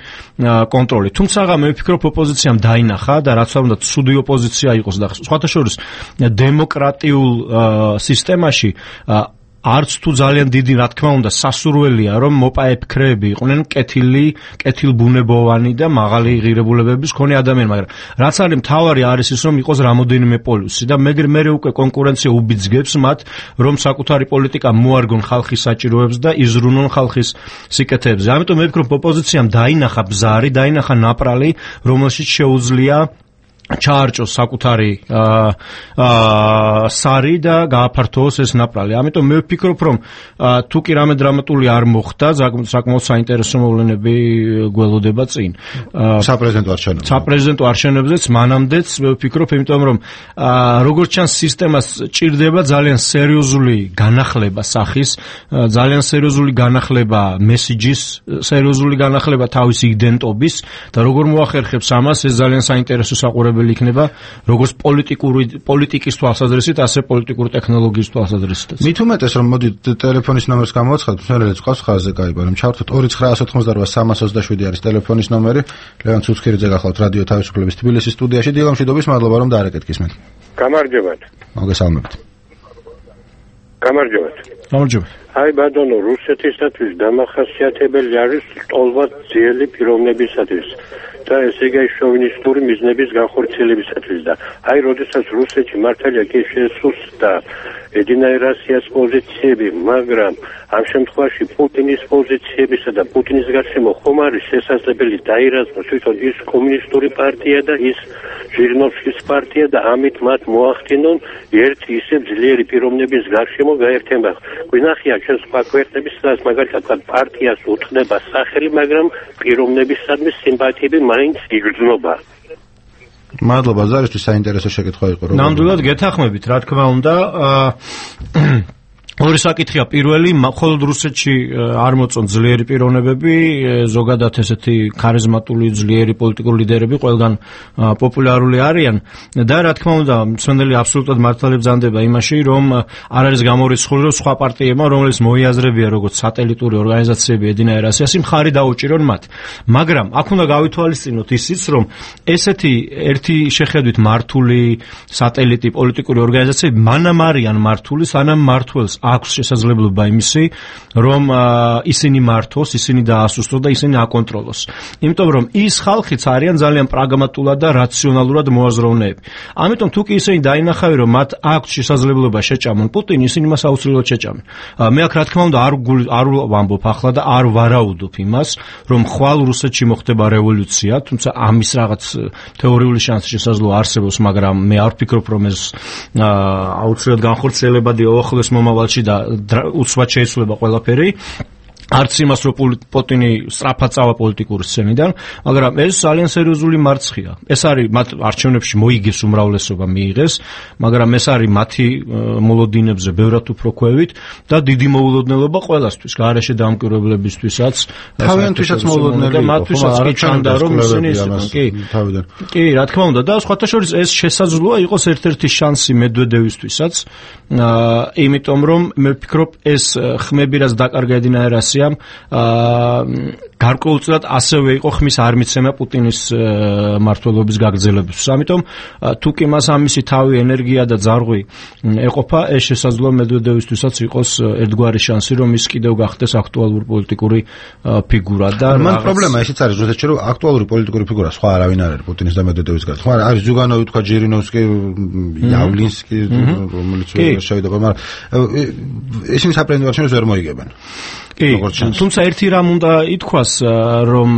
კონტროლი. თუმცა მე ვფიქრობ, ოპოზიციამ დაინახა და რაც არ უნდა ცუდი ოპოზიცია იყოს და სხვათა შორის დემოკრატიულ სისტემაში არც თუ ძალიან დიდი, რა თქმა უნდა, სასურველია, რომ მოპაე ფიქრები იყვნენ კეთილბუნებოვანი და მაღალი ღირებულებების მქონე ადამიანი, მაგრამ რაც არის მთავარი არის ის, რომ იყოს რამოდენიმე პოლუსი და მე უკვე კონკურენცია უბიძგებს მათ, რომ საკუთარი პოლიტიკა მოარგონ ხალხის საჭიროებს და იზრუნონ ხალხის სიკეთეებზე. ამიტომ მე ვფიქრობ, ოპოზიციამ დაინახა ბზარი, დაინახა ნაპრალი, რომელშიც შეუძლია ჩაარჭოს საკუთარი სარი და გააფართოოს ეს ნაპრალი. ამიტომ მე ვფიქრობ, რომ თუ კი რამე დრამატული არ მოხდა, საკმაოდ საინტერესო მოვლენები გველოდება წინ. საპრეზიდენტო არჩევნებზეც მანამდეც მე ვფიქრობ, იმიტომ რომ როგორც ჩანს სისტემას ჭირდება ძალიან სერიოზული განახლება სახის, ძალიან სერიოზული განახლება მესიჯის, სერიოზული განახლება თავის იდენტობის და როგორ მოახერხებს ამას, ეს ძალიან საინტერესო საყურებელი იქნება როგორც პოლიტიკის თვალსაზრისით, ასე პოლიტიკური ტექნოლოგიის თვალსაზრისით. მით უმეტეს რომ მოდი ტელეფონის ნომერს გამოვაცხადოთ, მშვენიერი ყავს ხაზზე კაიბა, რომ ჩავთოთ 2988327 არის ტელეფონის ნომერი. ლევან ცუცქირიძე გახლავთ რადიო თავისუფლების თბილისის სტუდიაში. დილა მშვიდობის, მადლობა რომ დაარეკეთ გისმენთ. გამარჯობათ. მოგესალმებით. გამარჯობათ. გამარჯობა. აი ბატონო, რუსეთისათვის დამახასიათებელი არის ტოლված ძიელი პიროვნებისათვის და ესე იგი შოვინისტური მიზნების განხორციელებისათვის და აი როდესაც რუსეთში მართალია კი შესუსტდა ედინა ერასიას პოზიციები, მაგრამ ამ შემთხვევაში პუტინის პოზიციებისა და პუტინის გარშემო ხომ არის შესაძლებელი დაირაზმოს თვითონ ის კომუნისტური პარტია და ის ჟირნოვსკის პარტია და ამით მათ მოახდინონ ერთი ისე ძლიერი პიროვნების გარშემო გაერთიანება. გვინახია ჩვენ სხვა ქვეყნების სადაც მაგალითად პარტიას უთხრება სახელი, მაგრამ პიროვნებისადმი სიმპათიები მაინც იგრძნობა. მადლობა ზარისთვის, საინტერესო შეკითხვა იყო. ნამდვილად გეთახმებით, რა თქმა უნდა. ორი საკითხია, პირველი, მხოლოდ რუსეთში არ მოწონ ძლიერი პიროვნებები, ზოგადად ესეთი ქარიზმატული ძლიერი პოლიტიკური ლიდერები ყველგან პოპულარული არიან და რა თქმა უნდა, მსმენელი აბსოლუტურად მართალი ბრძანდება იმაში, რომ არ არის გამორიცხული, რომ სხვა პარტიებმა, რომელიც მოიაზრებიან როგორც სატელიტური ორგანიზაციები ედინაერ ასიასი, მხარი დაუჭირონ მათ. მაგრამ აქ უნდა გავითვალისწინოთ ისიც, რომ ესეთი ერთი შეხედვით მართული სატელიტი პოლიტიკური ორგანიზაციები მანამ არიან მართული, სანამ მართლს აქვს შესაძლებლობა იმისი, რომ ისინი მართოს, ისინი დაასუსტოს და ისინი აკონტროლოს. იმიტომ რომ ის ხალხიც არიან ძალიან პრაგმატულად და რაციონალურად მოაზროვნეები. ამიტომ თუ კი ისინი დაინახავენ, რომ მათ აქვს შესაძლებლობა შეჭამონ პუტინი, ისინი მას აუცილებლად შეჭამენ. მე აქ რა თქმა უნდა არ ვამბობ ახლა და არ ვარაუდობ იმას, რომ ხვალ რუსეთში მოხდება რევოლუცია, თუმცა ამის რაღაც თეორიული შანსი შესაძლოა არსებობს, მაგრამ მე არ ვფიქრობ, რომ ეს აუცილებლად განხორციელებადი უახლოეს მომავალში და უცბად შეიცვლება ყველაფერი. არც იმას, რომ პუტინი სწრაფად წავა პოლიტიკური სცენიდან, მაგრამ ეს ძალიან სერიოზული მარცხია. ეს არის მათ არჩევნებში მოიგეს უმრავლესობა მიიღეს, მაგრამ ეს არის მათი მოლოდინებზე ბევრად უფრო ქვევით და დიდი მოულოდნელობა ყველასთვის, გარეშე დამკვირვებლებისთვისაც, თავიანთვისაც მოულოდნელი, მათთვისაც კი ჩანდა, რომ ისინი თავიდან. კი, რა თქმა უნდა, და სხვათა შორის ეს შესაძლოა იყოს ერთ-ერთი შანსი მედვედევისთვისაც, იმიტომ რომ მე ვფიქრობ, ეს ხმები, რაც დაკარგა ედინაერ ასიასი გარკვეულწილად ასევე იყო ხმის არმიცემა პუტინის მმართველობის გაგრძელებისთვის. ამიტომ თუ კი მას ამისი თავი, ენერგია და ძარღვი ეყოფა, ეს შესაძლოა მედვედევისთვისაც იყოს ერთგვარი შანსი, რომ ის კიდევ გახდეს აქტუალური პოლიტიკური ფიგურა და მან პრობლემა ისიც არის რუსეთში, რომ აქტუალური პოლიტიკური ფიგურა სხვა არავინ არ არის პუტინის და მედვედევის გარდა. ხო, არის ზუგანოვი, თქვა ჯირინოვსკი, იავლინსკი, რომელიც შევიდა, მაგრამ ისინი საპრეზიდენტო არჩევნებს ვერ მოიგებენ. თუმცა ერთი რამ უნდა ითქვას, რომ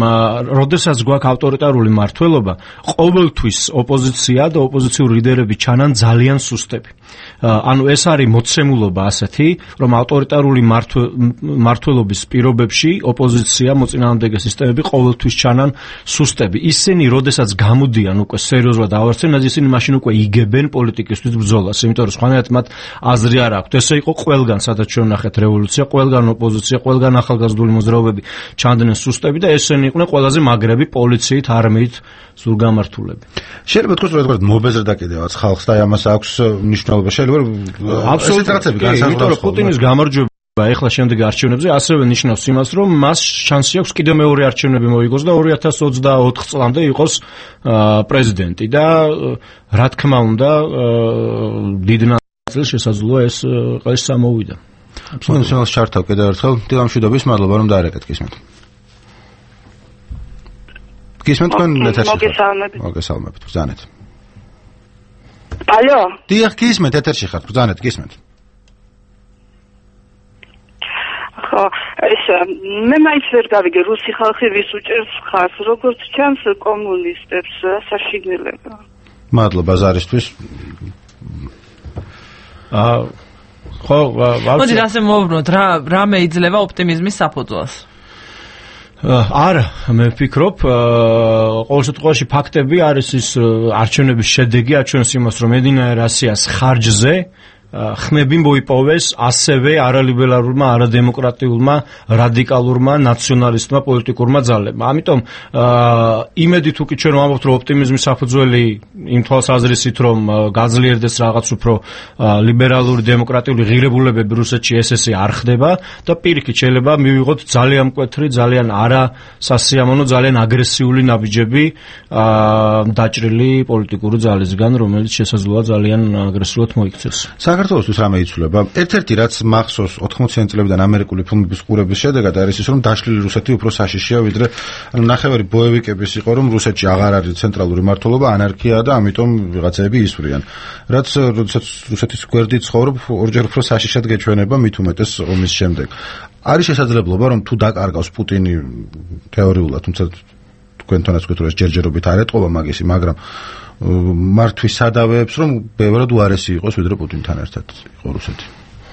როდესაც გვაქვს ავტორიტარული მმართველობა, ყოველთვის ოპოზიცია და ოპოზიციური ლიდერები ჩანან ძალიან სუსტები. ანუ ეს არის მოცემულობა ასეთი, რომ ავტორიტარული მმართველობის პირობებში ოპოზიცია, მოწინააღმდეგე სისტემები ყოველთვის ჩანან სუსტები. ისინი როდესაც გამოდიან უკვე სერიოზულად ავარცხნად, ისინი მაშინ უკვე იგებენ პოლიტიკისთვის ბრძოლას, იმიტომ რომ სხვანაირად მათ აზრი არ აქვთ. ესე იყო ყველგან, სადაც ჩვენ ვნახეთ რევოლუცია, ყველგან ოპოზიცია, ყველგან ახალგაზრდული მოძრაობები ჩანდნენ სუსტები და ესენი იყვნენ ყველაზე მაგრები პოლიციით, არმიით სულგამართულები. შეიძლება თქვენ რომ მობეზრდა კიდევაც ხალხს და ამას აქვს მნიშვნელობა. შეიძლება აბსოლუტურად განსაზღვრა რომ პუტინის გამარჯვება ეხლა შემდეგ არჩევნებზე ასევე ნიშნავს იმას, რომ მას შანსი აქვს კიდევ მეორე არჩევნები მოიგოს და 2024 წლამდე იყოს პრეზიდენტი და რა თქმა უნდა დიდ ნაწილს შესაძლოა ეს ყეშ სამოვიდა. აბსოლუტურად ჩართავ კიდევ ერთხელ. დილამშვიდობის, მადლობა რომ დაარეკეთ გისმენთ. გისმენთ თქვენ ეთერში. მოგესალმებით. ბრძანეთ. ალო. დიახ, გისმენთ ეთერში ხართ, ბრძანეთ, გისმენთ. ხო, ეს მე მაინც ვერ გავიგე რუსი ხალხი ვის უჭერს ხარს, როგორც ჩანს კომუნისტებს საშინელება. მადლობა ზარისთვის. ხო, მოდი ასე მოვბრუნოთ, რა მეიძლევა ოპტიმიზმის საფუძველს? არა, მე ვფიქრობ, ყოველ შემთხვევაში ფაქტები არის ის არჩევნების შედეგი, აჩვენებს იმას, რომ ედინაერ ასიას ხარჯზე ხმები მოიპოვეს ასევე არალიბერალურმა, არადემოკრატიულმა, რადიკალურმა, ნაციონალისტმა პოლიტიკურმა ძალებმა. ამიტომ იმედი თუ კი ჩვენ ვამბობთ, რომ ოპტიმიზმის საფუძველი იმ თვალსაზრისით, რომ გაძლიერდეს რაღაც უფრო ლიბერალური, დემოკრატიული ღირებულებები რუსეთში ესე არ ხდება და პირიქით შეიძლება მივიღოთ ძალიან მკვეთრი, ძალიან არასასიამოვნო, ძალიან აგრესიული ნაბიჯები დაჭრილი პოლიტიკური ძალისგან, რომელიც შესაძლოა ძალიან აგრესიულად მოიქცეს. საქართველოსთვის რამე იცვლება? ერთ-ერთი რაც მახსოვს 80-იან წლებიდან ამერიკული ფილმების ყურების შედეგად არის ის, რომ დაშლილი რუსეთი უფრო საშიშია, ვიდრე ნახევარი ბოევიკების იყო, რომ რუსეთში აღარ არის ცენტრალური მმართველობა, ანარქიაა და ამიტომ ვიღაცები ისვრიან. რაც როდესაც რუსეთის გვერდი ცხოვრობ, ორჯერ უფრო საშიშად გეჩვენება, მით უმეტეს ომის შემდეგ. არის შესაძლებლობა, რომ თუ დაკარგავს პუტინი თეორიულად, თუმცა თქვენთანაც ვთქვით, რომ ეს ჯერჯერობით არ ეტყობა მაგისი, მაგრამ მართვის სადავეებს, რომ ბევრად უარესი იყოს, ვიდრე პუტინთან ერთად იყო რუსეთი.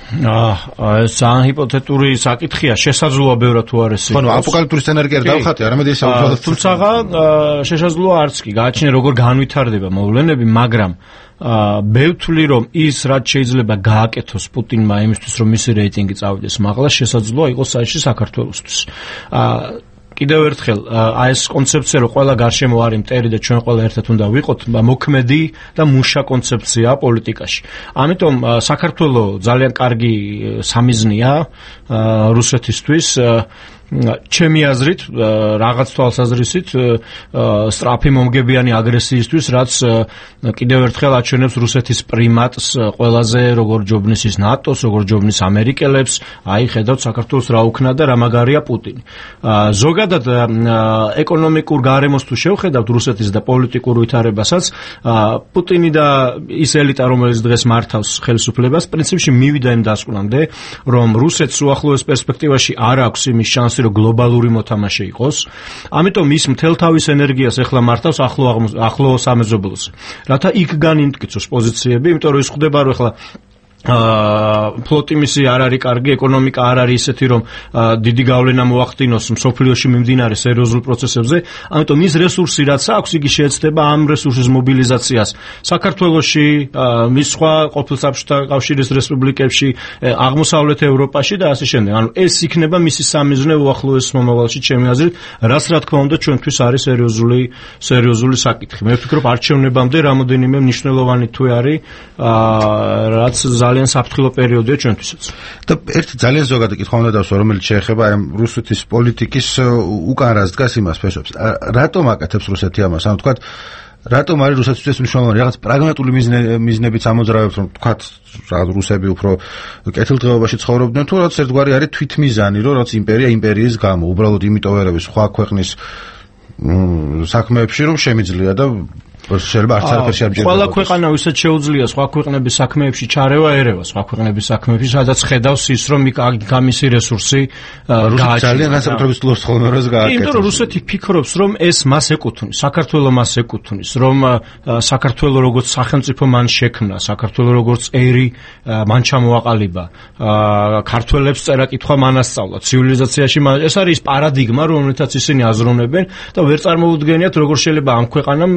ეს ძალიან ჰიპოთეტური საკითხია, შესაძლოა ბევრად თუ არ ეს. ხო, აპოკალიფტური სცენარი კი არ დავხატე, არამედ ეს საუბრობთ. თუმცა შესაძლოა არც კი, გააჩნია როგორ განვითარდება მოვლენები, მაგრამ ბევრთვლი რომ ის რაც შეიძლება გააკეთოს პუტინმა იმისთვის რომ მისი რეიტინგი წავიდეს მაღლა, შესაძლოა იყოს საერთოდ საქართველოსთვის. კიდევ ერთხელ ეს კონცეფცია რომ ყველა გარშემო არის მტერი და ჩვენ ყველა ერთად უნდა ვიყოთ მოქმედი და მუშა კონცეფცია პოლიტიკაში. ამიტომ საქართველოს ძალიან კარგი სამიზნეა რუსეთისთვის ჩემი აზრით რაღაც თვალსაზრისით სწრაფი მომგებიანი აგრესიისთვის, რაც კიდევ ერთხელ აჩვენებს რუსეთის პრიმატს ყველაზე როგორ ჯობნის ის ნატოს, როგორ ჯობნის ამერიკელებს, აი ხედავთ საქართველოს რა უქნა და რა მაგარია პუტინი. ზოგადად ეკონომიკურ გარემოს თუ შევხედავთ რუსეთის და პოლიტიკურ ვითარებასაც, პუტინი და ის ელიტა, რომელიც დღეს მართავს ხელისუფლებას, პრინციპში მივიდა იმ დასკვნამდე, რომ რუსეთს უახლოეს პერსპექტივაში არ აქვს იმის შანსი რომ გლობალური მოთამაშე იყოს. ამიტომ ის მთელ თავის ენერგიას ეხლა მართავს ახლო სამეზობლოს. რათა იქ განიმტკიცოს პოზიციები, იმიტომ რომ ის ხვდება რომ ეხლა ფლოტი მისი არ არის კარგი, ეკონომიკა არ არის ისეთი, რომ დიდი გავლენა მოახდინოს მსოფლიოში მიმდინარე სერიოზულ პროცესებზე, ამიტომ ის რესურსი რაც აქვს, იგი შეეცდება ამ რესურსის მობილიზაციას საქართველოში, მის სხვა ყოფილ საბჭოთა კავშირის რესპუბლიკებში, აღმოსავლეთ ევროპაში და ასე შემდეგ. ანუ ეს იქნება მისი სამიზნე უახლოეს მომავალში, ჩემი აზრით, რაც რა თქმა უნდა ჩვენთვის არის სერიოზული საკითხი. მე ვფიქრობ არჩევნებამდე რამოდენიმე მნიშვნელოვანი თუ არის, რაც ძალიან საფრთხილო პერიოდია ჩვენთვისაც. და ერთი ძალიან ზოგადი კითხვა უნდა დავსვა, რომელიც შეეხება აი რუსეთის პოლიტიკის უკან რას დგას იმას ფესობს. რატომ აკეთებს რუსეთი ამას? ანუ თქვათ, რატომ არის რუსეთისთვის მნიშვნელოვანი რაღაც პრაგმატული მიზნებიც ამოძრავებს, რომ თქვათ, რაღაც რუსები უფრო კეთილდღეობაში ცხოვრობდნენ, თუ რაღაც ერთგვარი არის თვითმიზანი, რომ რაღაც იმპერია იმპერიის გამო, უბრალოდ იმიტომ ვერ არის სხვა ქვეყნის საქმეებში, რომ შემიძლია და შეიძლება არც არაფერში არ მჯერდება. ყველა ქვეყანა ვისაც შეუძლია სხვა ქვეყნების საქმეებში ჩარევა ერევა, სხვა ქვეყნების საქმეებში, სადაც ხედავს ის, რომ გამისი რესურსი გააჩნია. ძალიან განსაკუთრებით ლოს ხონოროს გააკეთებს. იმიტომ რომ რუსეთი ფიქრობს, რომ ეს მას ეკუთვნის, საქართველოს მას ეკუთვნის, რომ საქართველოს როგორც სახელმწიფო მან შექმნა, საქართველოს როგორც ერი მან ჩამოაყალიბა, ქართველებს წერა-კითხვა მან ასწავლა, ცივილიზაციაში ეს არის პარადიგმა, რომელთაც ისინი აზროვნებენ და ვერ წარმოუდგენიათ, როგორ შეიძლება ამ ქვეყანამ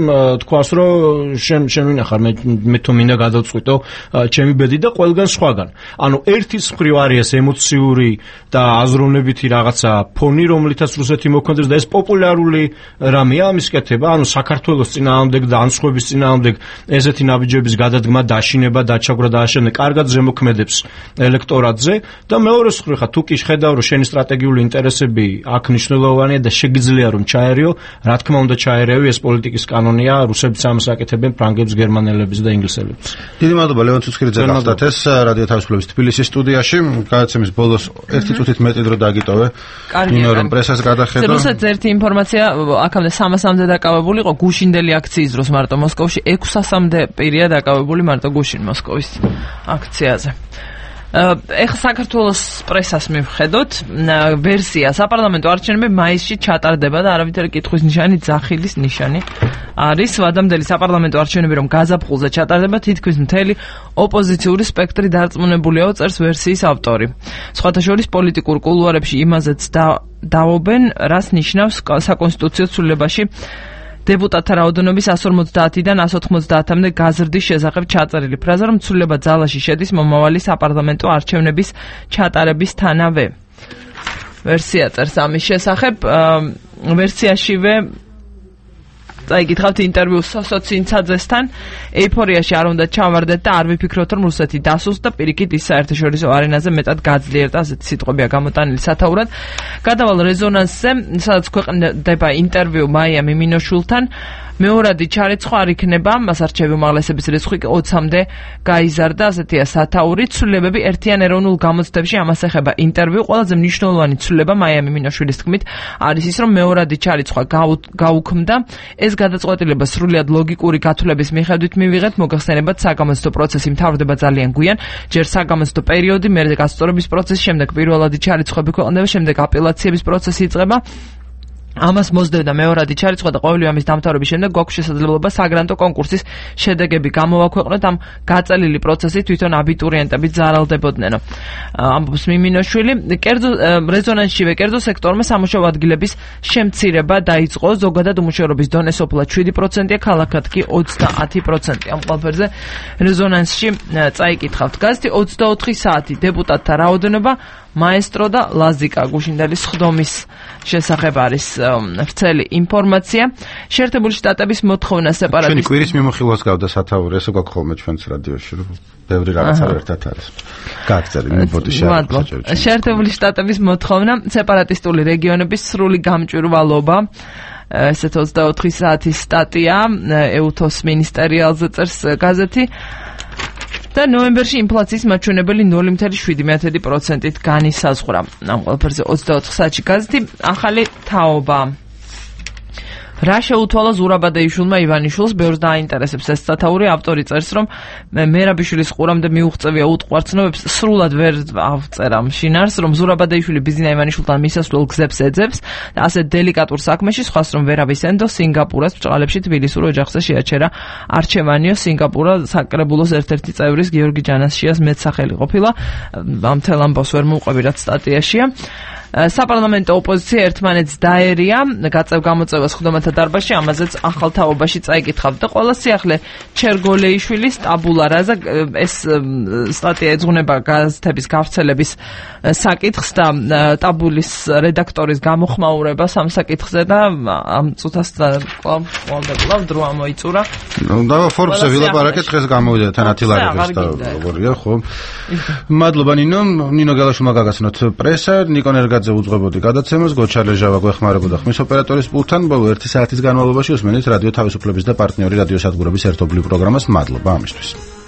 თქვა რომ შენ ვინახარ მე თუ მინდა გადავწყვიტო ჩემი ბედი და ყველგან სხვაგან. ანუ ერთის მხრივ არის ეს ემოციური და აზროვნებითი რაღაცა ფონი, რომლითაც რუსეთი მოქმედებს და ეს პოპულარული რამეა ამის კეთება, ანუ საქართველოს წინააღმდეგ და ანსხვების წინააღმდეგ ესეთი ნაბიჯების გადადგმა, დაშინება, დაჩაგვრა და აშენება კარგად ზემოქმედებს ელექტორატზე და მეორეს მხრივ ხა თუ კი ხედავ რომ შენი სტრატეგიული ინტერესები აქ მნიშვნელოვანია და შეგიძლია რომ ჩაერიო, რა თქმა უნდა ჩაერევი, ეს პოლიტიკის კანონია, რუსები ამას აკეთებენ ფრანგებს, გერმანელებს და ინგლისელებს. დიდი მადლობა ლევან ცუცქირიძე გახდათ ეს რადიო თავისუფლების თბილისის სტუდიაში. გადაცემის ბოლოს 1 წუთით მეტი დრო დაგიტოვე. იმეორ რომ პრესას გადახედო. რუსეთს ერთი ინფორმაცია აქამდე 300-მდე დაკავებული იყო გუშინდელი აქციის დროს მარტო მოსკოვში, 600-მდე პირია დაკავებული მარტო გუშინ მოსკოვის აქციაზე. ეხლა საქართველოს პრესას მივხედოთ, ვერსია საპარლამენტო არჩევნები მაისში ჩატარდება და არავითარი კითხვის ნიშანი, ძახილის ნიშანი არის. ვადამდელი საპარლამენტო არჩევნები რომ გაზაფხულზე ჩატარდება, თითქმის მთელი ოპოზიციური სპექტრი დარწმუნებულია, წერს ვერსიის ავტორი. სხვათა შორის პოლიტიკურ კულუარებში იმაზეც დაობენ, რას ნიშნავს საკონსტიტუციო ცვლილებაში დეპუტატთა რაოდენობის 150-დან 190-მდე გაზრდის შესახებ ჩაწერილი ფრაზა, რომ ცვლილება ძალაში შედის მომავალი საპარლამენტო არჩევნების ჩატარებისთანავე. ვერსია წერს ამის შესახებ. ვერსიაშივე წაიგითხავთ ინტერვიუს სოცინცაძესთან. ეიფორიაში არ უნდა ჩავარდეთ და არ ვიფიქროთ, რომ რუსეთი დასულს და პირიქით ის საერთაშორისო არენაზე მეტად გაძლიერდა, ასეთი სიტყვებია გამოტანილი სათაურად. გადავალ რეზონანსზე, სადაც ქვეყნდება ინტერვიუ მაია მიმინოშვილთან. მეორადი ჩარეცხვა არ იქნება, მას არჩევი უმაღლესების რიცხვი 20-მდე გაიზარდა, ასეთია სათაური. ცვლილებები ერთიან ეროვნულ გამოცდებში ამას ეხება ინტერვიუ. ყველაზე მნიშვნელოვანი ცვლილება მაია მიმინოშვილის თქმით არის ის, რომ მეორადი ჩარეცხვა გაუქმდა. ეს გადაწყვეტილება სრულიად ლოგიკური გათვლების მიხედვით მივიღეთ, მოგახსენებათ საგამოცდო პროცესი მთავრდება ძალიან გვიან, ჯერ საგამოცდო პერიოდი, მერე გასწორების პროცესი, შემდეგ პირველადი ჩარეცხვები ქვეყნდება, შემდეგ აპელაციების პროცესი იწყება. ამას მოსდევდა მეორადი ჩარიცხვა და ყოველი ამის დამთავრების შემდეგ გვაქვს შესაძლებლობა საგრანტო კონკურსის შედეგები გამოვაქვეყნოთ. ამ გაწელილი პროცესით თვითონ აბიტურიენტები ძალდებოდნენ. ამბობს მიმინოშვილი, რეზონანსშივე კერძო სექტორმა სამუშაო ადგილების შემცირება დაიწყო, ზოგადად უმუშევრობის დონე სოფლად 7%-ია, ქალაქად კი 30%. ამ ყველაფერზე რეზონანსში წაიკითხავთ. გაზეთი 24 საათი დეპუტატთა რაოდენობა მაესტრო და ლაზიკა გუშინდელის ხდომის შესახებ არის ვრცელი ინფორმაცია. შეერთებული შტატების მოთხოვნა სეპარატისტ ჩვენი კვირის მიმოხილვას გავდა სათაური, ესე გვაქვს ხოლმე ჩვენს რადიოში, რომ ბევრი რაღაცა ერთად არის. გააგრძელი მიბოდი შეერთებული. შეერთებული შტატების მოთხოვნა სეპარატისტული რეგიონების სრული გამჭვირვალობა. ესეთ 24 საათის სტატია ეუთოს მინისტერიალზე წერს გაზეთი. და ნოემბერში ინფლაციის მაჩვენებელი 0.7%-ით განისაზღვრა. ამ ყველაფერზე 24 საათში გაზეთი. ახალი თაობა. რა შეუთვალა ზურაბადეიშვილმა ივანიშვილს, ბევრს დააინტერესებს ეს სათაური. ავტორი წერს, რომ მერაბიშვილის ყურამდე მიუღწევია უტყვარცნობებს, სრულად ვერ ავწერა შინარს, რომ ზურაბადეიშვილი ბიზნა ივანიშვილთან მისასვლელ გზებს ეძებს და ასე დელიკატურ საქმეში სხვას რომ ვერავის ენდო სინგაპურას ბჭყალებში თბილისურ ოჯახზე შეაჩერა არჩევანიო. სინგაპურა საკრებულოს ერთ-ერთი წევრის გიორგი ჯანაშიას მეტსახელი ყოფილა. ამ თელ ამბავს ვერ მოვყვები, რაც სტატიაშია. საპარლამენტო ოპოზიცია ერთმანეთს დაერია გაწევ-გამოწევას ხდომათა დარბაზში, ამაზეც ახალ თაობაში წაიკითხავთ და ყველა სიახლე ჩერგოლეიშვილის ტაბულარაზე. ეს სტატია ეძღვნება გაზეთების გავრცელების საკითხს და ტაბულის რედაქტორის გამოხმაურებას ამ საკითხზე და ამ წუთას კვლავ დრო ამოიწურა. და ფორბსზე ვილაპარაკეთ, დღეს გამოვიდა თანათი ლარების და როგორია, ხო? მადლობა ნინო გელაშვილმა გაგაცნოთ პრესა, ნიკო ნერგაძე უძღვებოდი გადაცემას, გოჩალეჟავა გვეხმარებოდა ხმის ოპერატორის პულტთან. ბოლო 1 საათის განმავლობაში უსმენთ რადიო თავისუფლების და პარტნიორი რადიო სადგურების ერთობლივ პროგრამას. მადლობა ამისთვის.